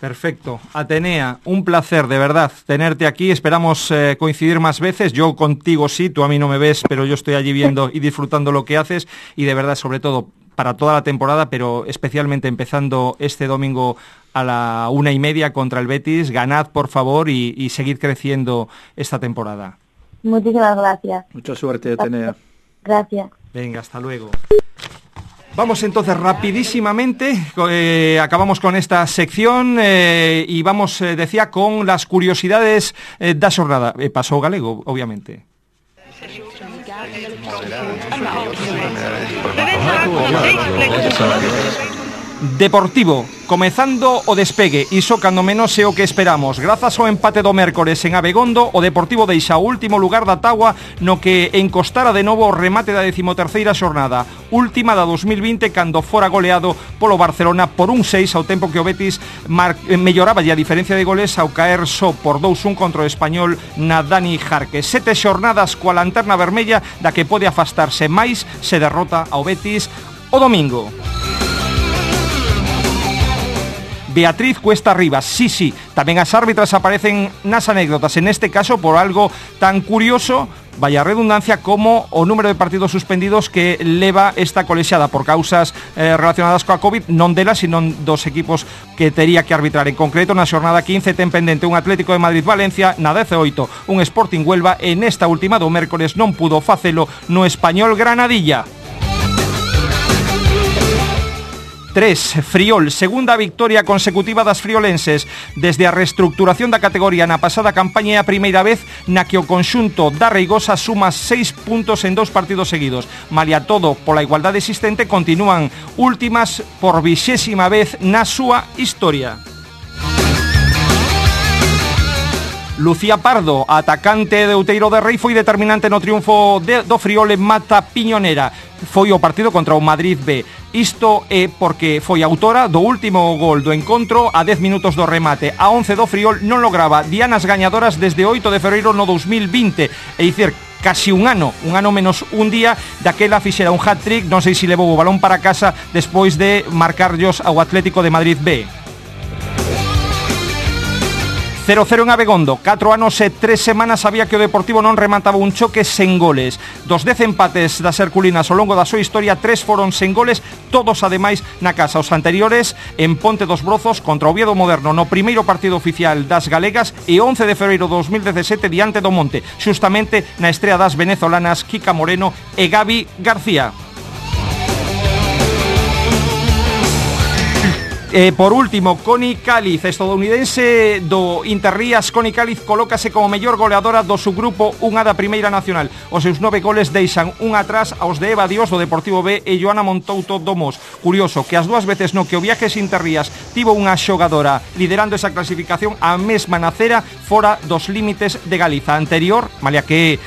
Perfecto. Atenea, un placer, de verdad, tenerte aquí. Esperamos coincidir más veces. Yo contigo sí, tú a mí no me ves, pero yo estoy allí viendo y disfrutando lo que haces. Y de verdad, sobre todo, para toda la temporada, pero especialmente empezando este domingo a la 1:30 contra el Betis, ganad, por favor, y seguid creciendo esta temporada. Muchísimas gracias. Mucha suerte, Atenea. Gracias. Venga, hasta luego. Vamos entonces rapidísimamente, acabamos con esta sección y vamos, decía, con las curiosidades da xornada. Pasou galego, obviamente. Deportivo, comezando o despegue, iso cando menos é o que esperamos. Grazas ao empate do mércores en Abegondo, o Deportivo deixa o último lugar da táboa no que encostara de novo o remate da 13ª xornada, última da 2020, cando fora goleado polo Barcelona por 1-6, ao tempo que o Betis melloraba a diferencia de goles ao caer só por 2-1 contra o Español na Dani Jarque. 7 xornadas coa lanterna vermella da que pode afastarse máis se derrota ao Betis o domingo. Beatriz Cuesta Rivas, sí, tamén as árbitras aparecen nas anécdotas, en este caso por algo tan curioso vaya redundancia, como o número de partidos suspendidos que leva esta colexiada por causas relacionadas coa COVID, non delas, sino dos equipos que tería que arbitrar. En concreto, na xornada 15 ten pendente un Atlético de Madrid-Valencia, na 18 un Sporting Huelva, e nesta última do mércores non pudo facelo no Español Granadilla. 3. Friol, segunda victoria consecutiva das friolenses desde a reestructuración da categoría na pasada campaña, e a primeira vez na que o conxunto da Reigosa suma 6 puntos en 2 partidos seguidos. Malia todo, pola igualdade existente, continúan últimas por 20ª vez na súa historia. Lucía Pardo, atacante de Outeiro de Rei, foi determinante no triunfo do Friol en Mata Piñonera. Foi o partido contra o Madrid B. Isto é porque foi autora do último gol do encontro a 10 minutos do remate. A 11 do Friol non lograba dianas gañadoras desde 8 de febreiro no 2020. É dicir, casi un ano menos un día, daquela fixera un hat-trick, non sei se levou o balón para casa despois de marcarllos ao Atlético de Madrid B. 0-0 en Abegondo, 4 anos e 3 semanas había que o Deportivo non remataba un choque sen goles. Dos 10 empates das herculinas ao longo da súa historia, 3 foron sen goles, todos ademais na casa. Os anteriores en Ponte dos Brozos contra o Oviedo Moderno no primeiro partido oficial das galegas, e 11 de febreiro de 2017 diante do Monte, xustamente na estrea das venezolanas Kika Moreno e Gaby García. Por último, Connie Cáliz, estadounidense do Interrías. Connie Cáliz colócase como mellor goleadora do subgrupo 1 da Primeira Nacional. Os seus 9 goles deixan un atrás aos de Eva Dios do Deportivo B e Joana Montouto do Mos. Curioso que as dúas veces no que o Viajes Interrías tivo unha xogadora liderando esa clasificación, a mesma nacera fora dos límites de Galiza. Anterior, malia que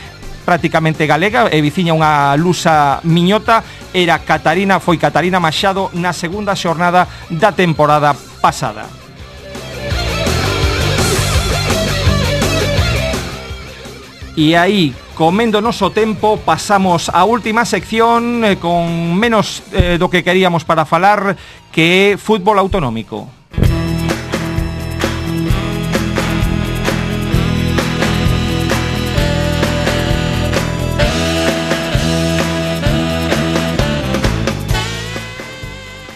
prácticamente galega e viciña unha lusa miñota, foi Catarina Machado na segunda xornada da temporada pasada. E aí, comendo noso tempo, pasamos á última sección con menos do que queríamos para falar, que é fútbol autonómico.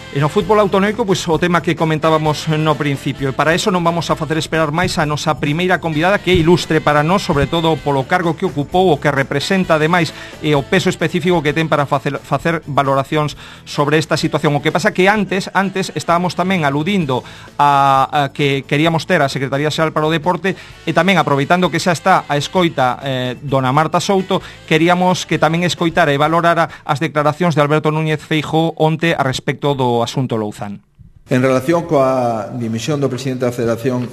E no fútbol autonómico, pois o tema que comentábamos no principio, e para eso non vamos a facer esperar máis a nosa primeira convidada, que é ilustre para nós, sobre todo polo cargo que ocupou, o que representa ademais, e o peso específico que ten para facer valoracións sobre esta situación. O que pasa que antes estábamos tamén aludindo a que queríamos ter a Secretaría Xeral para o Deporte, e tamén aproveitando que xa está a escoita dona Marta Souto, queríamos que tamén escoitara e valorara as declaracións de Alberto Núñez Feijóo onte a respecto do asunto Louzán. En relación coa dimisión do presidente da Federación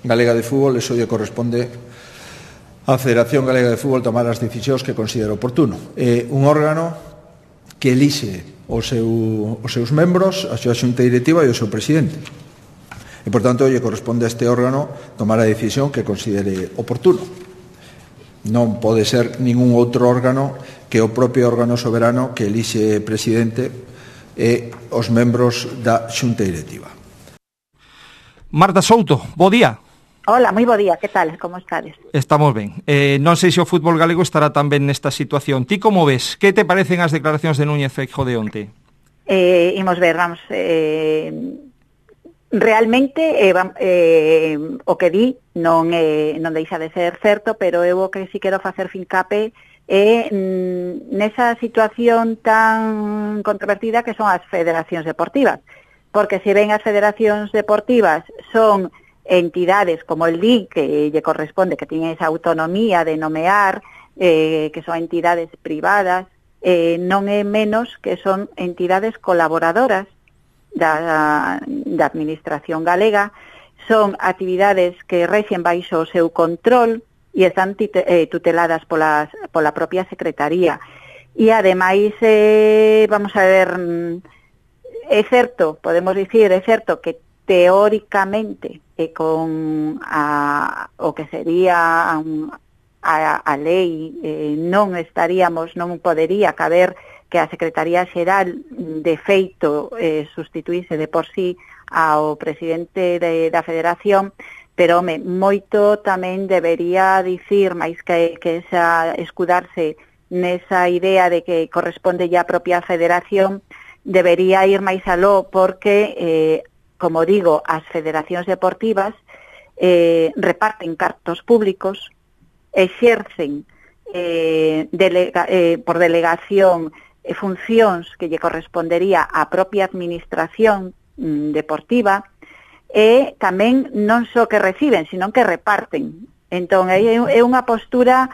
Galega de Fútbol, eso lle corresponde á Federación Galega de Fútbol tomar as decisións que considera oportuno. É un órgano que elixe os seus membros, a súa xunta directiva e o seu presidente. E, por tanto, lle corresponde a este órgano tomar a decisión que considere oportuno. Non pode ser ningún outro órgano que o propio órgano soberano que elixe presidente e os membros da xunta directiva. Marta Souto, bo día. Hola, moi bo día, que tal? Como estades? Estamos ben. Non sei se o fútbol galego estará tamén nesta situación. Ti como ves? Que te parecen as declaracións de Núñez Feijóo de onte? Imos ver, vamos... realmente o que di non deixa de ser certo, pero eu o que si quero facer fincape nesa situación tan controvertida que son as federacións deportivas, porque se ven as federacións deportivas son entidades como el DIC, que lle corresponde, que tiñen esa autonomía de nomear, que son entidades privadas, non é menos que son entidades colaboradoras da administración galega, son actividades que rexen baixo o seu control e están tuteladas pola propia Secretaría. E ademais, vamos a ver, é certo, podemos dicir, é certo que teóricamente con o que sería a lei non podería caber que a Secretaría Xeral de feito sustituíse de por sí ao presidente da Federación, pero moito tamén debería dicir, máis que esa escudarse nesa idea de que corresponde ya a propia federación, debería ir máis aló porque, como digo, as federacións deportivas reparten cartos públicos, exercen por delegación funcións que lle correspondería á propia administración deportiva, e tamén non só que reciben, sino que reparten. Entón, é unha postura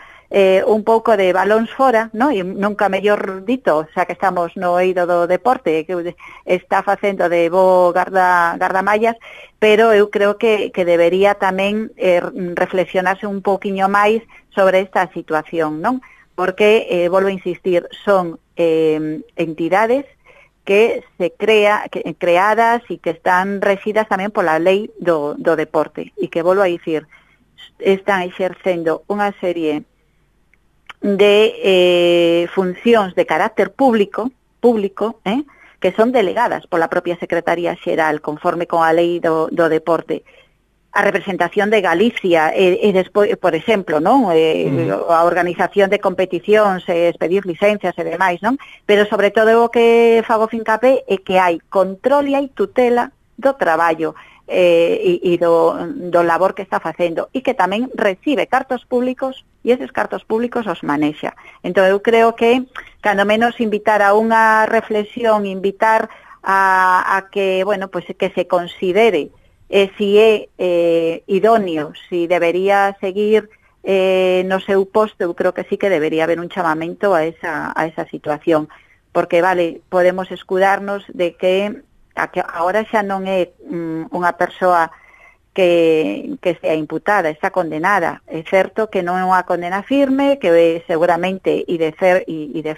un pouco de balóns fora, no? E nunca mellor dito, xa que estamos no eido do deporte, que está facendo de bo gardamallas, pero eu creo que debería tamén reflexionarse un pouquiño máis sobre esta situación, non? Porque, volvo a insistir, son entidades que creadas e que están rexidas tamén pola lei do deporte, e que, volvo a dicir, están exercendo unha serie de funcións de carácter público, que son delegadas pola propia Secretaría Xeral, conforme con a lei do deporte. A representación de Galicia e despois, por exemplo, non? A organización de competicións, expedir licencias e demais, non? Pero sobre todo o que fago fincapé é que hai control e hai tutela do traballo e do labor que está facendo, e que tamén recibe cartos públicos e eses cartos públicos os manexa. Entón eu creo que cando menos invitar a unha reflexión, invitar a que, bueno, pues que se considere si é idóneo, si debería seguir no seu posto. Eu creo que sí que debería haber un chamamento a esa situación, porque, vale, podemos escudarnos de que agora xa non é unha persoa que sea imputada, está condenada. É certo que non é unha condena firme, que seguramente e de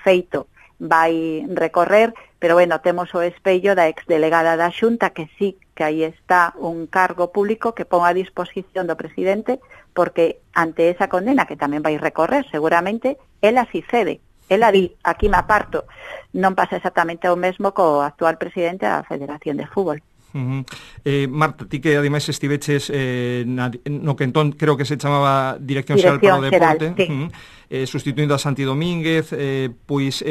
feito vai recorrer, pero bueno, temos o espello da exdelegada da Xunta, que sí que aí está un cargo público que pon a disposición do presidente, porque ante esa condena, que tamén vai recorrer seguramente, ela si cede. Ela di, aquí me aparto. Non pasa exactamente o mesmo co actual presidente da Federación de Fútbol. Marta, ti que ademais estiveches no que entón creo que se chamaba Dirección Xeral para o Deporte, sí. Sustituindo a Santi Domínguez, pois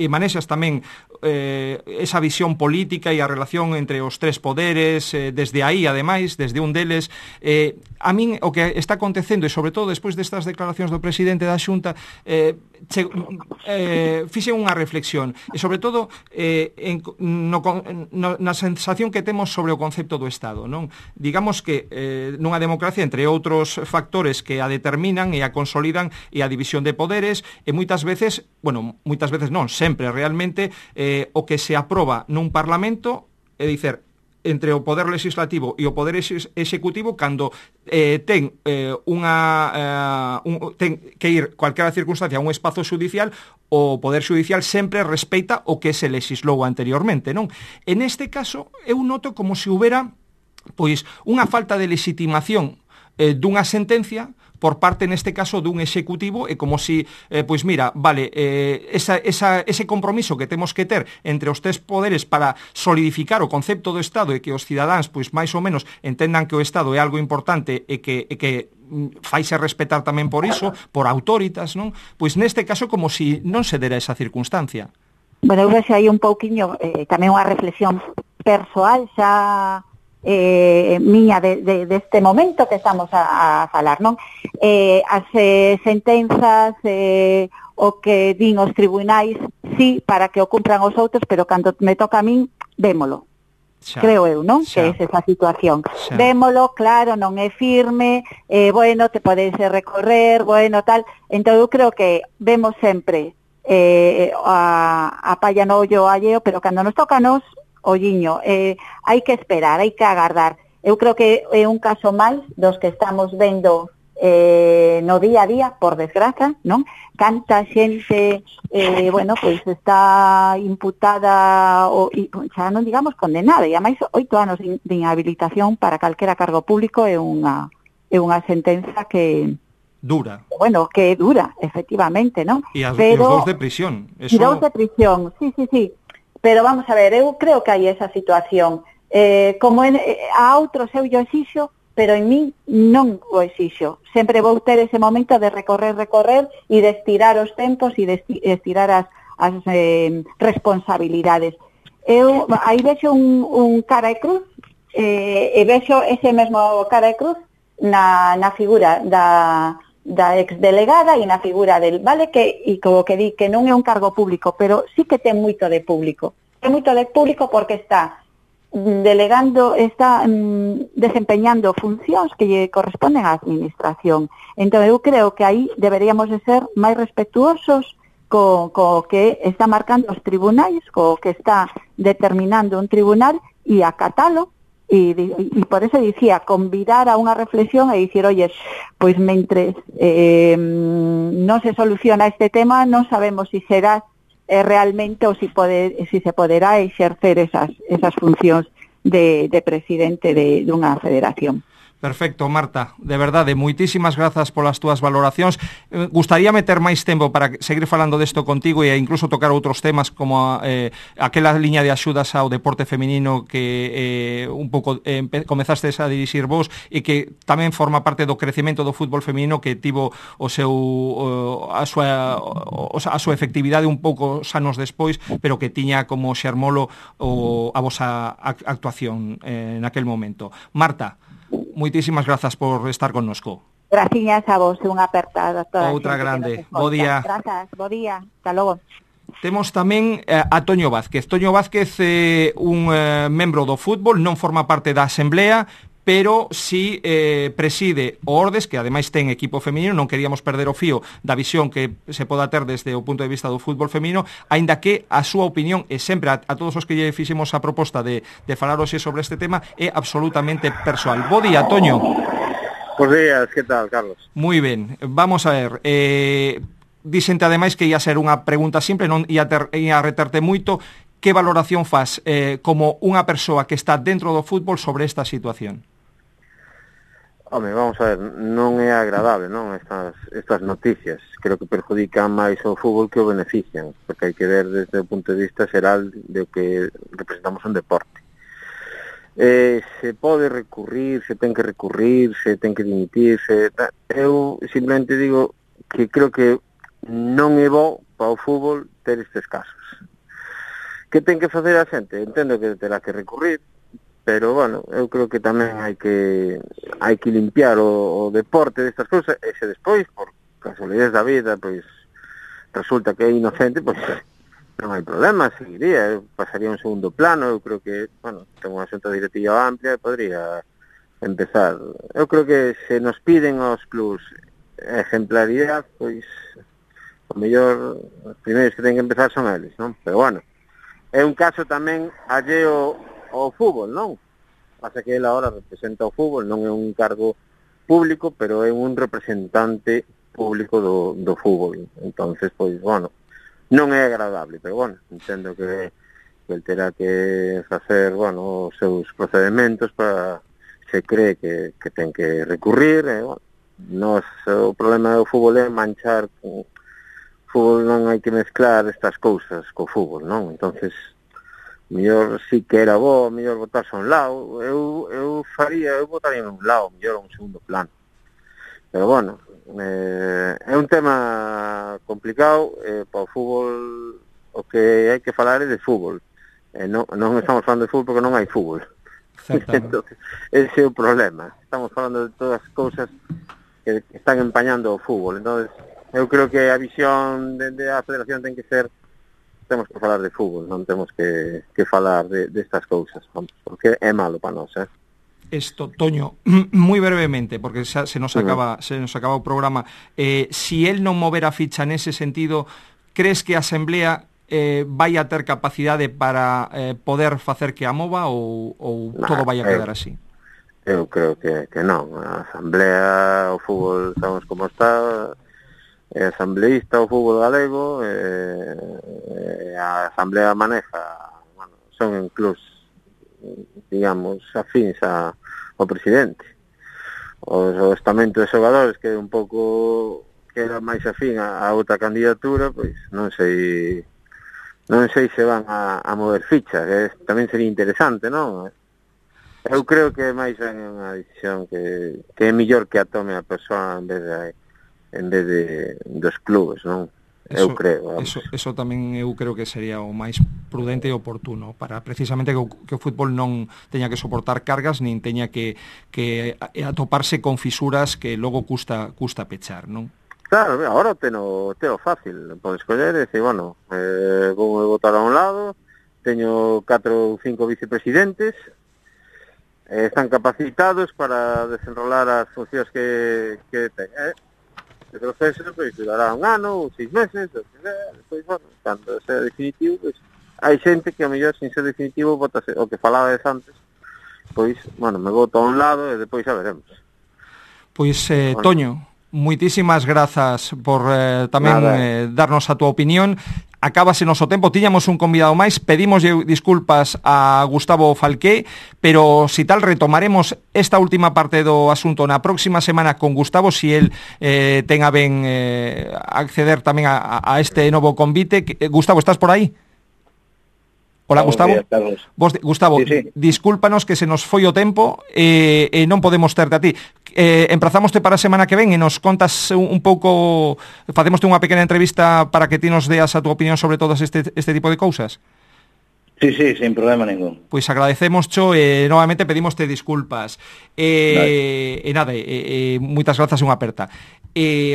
manexas tamén esa visión política e a relación entre os tres poderes, desde aí, ademais, desde un deles. A min o que está acontecendo, e sobre todo despois destas declaracións do presidente da Xunta, fixe unha reflexión, e sobre todo na sensación que temos sobre o concepto do Estado, non? Digamos que nunha democracia, entre outros factores que a determinan e a consolidan, e a división de poderes, e moitas veces non, sempre realmente o que se aproba nun Parlamento, é dicer, entre o poder legislativo e o poder executivo, cando ten que ir cualquiera circunstancia a un espazo xudicial, o poder xudicial sempre respeita o que se legislou anteriormente, non? En este caso, eu noto como se houbera pois unha falta de legitimación dunha sentencia por parte, neste caso, dun executivo, e como si, pois mira, vale, ese compromiso que temos que ter entre os tres poderes para solidificar o concepto do Estado e que os cidadáns, pois máis ou menos, entendan que o Estado é algo importante e que faise respetar tamén por iso, por autoritas, non? Pois neste caso como si non se dera esa circunstancia. Bueno, eu vexo aí un pouquiño, tamén unha reflexión persoal xa miña deste momento que estamos a falar, non? As sentenzas, o que din os tribunais, sí, para que o cumpran os outros, pero cando me toca a min, vémolo. Xa, creo eu, non? Xa. Que é esa situación. Xa. Vémolo, claro, non é firme, bueno, te podes recorrer, bueno, tal. Entón eu creo que vemos sempre a palla no ollo alleo, pero cando nos toca a nos, olliño, hai que esperar, hai que agardar. Eu creo que é un caso máis dos que estamos vendo no día a día, por desgraza, non? Canta xente, bueno, pois está imputada, xa non digamos condenada, e a máis 8 anos de inhabilitación para calquera cargo público é unha sentenza que dura. Bueno, que dura, efectivamente, non? E os 2 de prisión. E 2 de prisión, sí. Pero vamos a ver, eu creo que hai esa situación. Como a outros eu exixo pero en mí non o exixo. Sempre vou ter ese momento de recorrer e de estirar os tempos e de estirar as responsabilidades. Eu aí vexo un cara e cruz, e vexo ese mesmo cara e cruz na figura da exdelegada e na figura del, vale, que e como que di que non é un cargo público, pero sí que ten moito de público. Ten moito de público porque está desempeñando funcións que lle corresponden á administración. Entón eu creo que aí deberíamos de ser máis respetuosos co que está marcando os tribunais, co que está determinando un tribunal e acatalo. E por eso dicía, convidar a unha reflexión e dicir, oye, pois mentres non se soluciona este tema, non sabemos si será realmente ou si se poderá exercer esas funcións de presidente dunha federación. Perfecto, Marta, de verdade, moitísimas grazas polas túas valoracións. Gustaría meter máis tempo para seguir falando desto contigo e incluso tocar outros temas como aquela liña de axudas ao deporte feminino que un pouco comezastes a dirixir vos e que tamén forma parte do crecemento do fútbol feminino que tivo a súa efectividade un pouco anos despois, pero que tiña como xermolo a vosa actuación naquel momento. Marta, moitísimas grazas por estar connosco. Graciñas a vos, unha apertada a toda outra grande. Bo día. Grazas, bo día. Hasta logo. Temos tamén a Toño Vázquez. Toño Vázquez é un membro do fútbol, non forma parte da Asamblea, pero si preside o Ordes, que ademais ten equipo feminino. Non queríamos perder o fío da visión que se poda ter desde o punto de vista do fútbol feminino, aínda que a súa opinión, e sempre a todos os que lle fixemos a proposta de falar hoxe sobre este tema, é absolutamente persoal. Bo día, Toño. Bos días, que tal, Carlos? Moi ben, vamos a ver. Dixente ademais que ia ser unha pregunta simple, non ia reterte moito. Que valoración faz como unha persoa que está dentro do fútbol sobre esta situación? Home, vamos a ver, non é agradable, non, estas noticias. Creo que perjudican máis o fútbol que o benefician, porque hai que ver desde o punto de vista xeral de que representamos un deporte. Se pode recurrir, se ten que recurrir, se ten que dimitir, eu simplemente digo que creo que non é bo para o fútbol ter estes casos. Que ten que facer a xente? Entendo que terá que recurrir, pero, bueno, eu creo que tamén hai que limpiar o deporte destas cousas, e se despois, por casualidades da vida, pois resulta que é inocente, pois non hai problema, seguiría, pasaría un segundo plano. Eu creo que, bueno, ten unha xunta directiva amplia e podría empezar. Eu creo que se nos piden aos clubs ejemplaridade, pois o mellor os primeiros que ten que empezar son eles, non? Pero, bueno, é un caso tamén alleo ao fútbol, non? Pasa que ele agora representa o fútbol, non é un cargo público, pero é un representante público do fútbol. Entonces, pois, bueno, non é agradable, pero, bueno, entendo que el terá que facer, bueno, os seus procedementos para se cree que ten que recurrir, bueno, o problema do fútbol é manchar o fútbol, non hai que mezclar estas cousas co fútbol, non? Entonces, mellor sí que era bo, mellor botarse a un lado. Eu botaría a un lado, mellor a un segundo plano. Pero, bueno, é un tema complicado. Para o fútbol o que hai que falar é de fútbol. Non estamos falando de fútbol porque non hai fútbol. Entonces, ese é o problema. Estamos falando de todas as cousas que están empañando o fútbol. Entonces, eu creo que a visión da federación ten que ser, temos que falar de fútbol, non temos que falar destas cousas, porque é malo para nós, Esto, Toño, moi brevemente, porque se nos acaba o programa, si él non mover a ficha nese sentido, crees que a Asamblea vai a ter capacidade para poder facer que a mova ou todo vai a quedar así? Eu creo que non. A Asamblea, o fútbol, sabemos como está, é asambleísta o fútbol galego, a Asamblea maneja, bueno, son clubs, digamos, afíns ao presidente. O estamento de xogadores que é un pouco, que era máis afín a outra candidatura, pois non sei se van a mover fichas, que tamén sería interesante, non? Eu creo que máis ben é unha decisión que é mellor que a tome a persoa en vez de dos clubes, non? Eu creo. Eso tamén eu creo que sería o máis prudente e oportuno para precisamente que o fútbol non teña que soportar cargas nin teña que atoparse con fisuras que logo custa pechar, non? Claro, agora teno fácil, podes coller e decir, bueno, vou votar a un lado, teño 4 ou 5 vicepresidentes, están capacitados para desenrolar as funcións que ten. O proceso pois durará 1 ano ou 6 meses, despois, bueno, cando sea definitivo, pois hai xente que a mellor sin ser definitivo votase o que falabades antes, pois, bueno, me voto a un lado e depois xa veremos. Pois, Toño, moitísimas grazas por tamén darnos a túa opinión. Acábase noso tempo, tiñamos un convidado máis, pedimos disculpas a Gustavo Falqué, pero si tal retomaremos esta última parte do asunto na próxima semana con Gustavo, si el ten a ben acceder tamén a este novo convite. Gustavo, estás por aí? Hola, Gustavo. Gustavo, sí. Discúlpanos que se nos foi o tempo e non podemos terte a ti. Emprazámoste para a semana que ven e nos contas un pouco, facémoste unha pequena entrevista para que ti nos deas a túa opinión sobre todas este tipo de cousas. Sí, sin problema ningún. Pois agradecémoscho e novamente pedimoste disculpas. E nada, moitas grazas e unha aperta.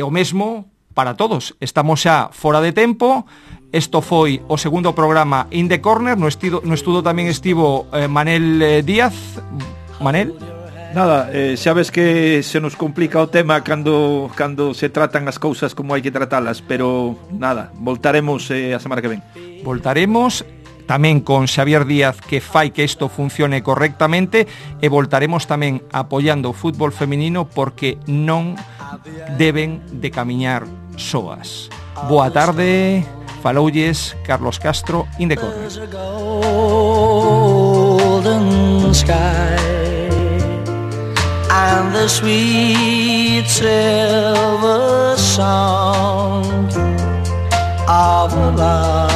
O mesmo para todos, estamos xa fora de tempo. Isto foi o segundo programa In the Corner. No estudo tamén estivo Manel Díaz. Manel? Nada, xa ves que se nos complica o tema cando se tratan as cousas como hai que tratalas, pero nada, voltaremos a semana que ven. Voltaremos tamén con Xavier Díaz, que fai que isto funcione correctamente, e voltaremos tamén apoiando o fútbol feminino porque non deben de camiñar soas. Boa tarde, faloulles Carlos Castro, In the Corner. And the sweet silver sound of love.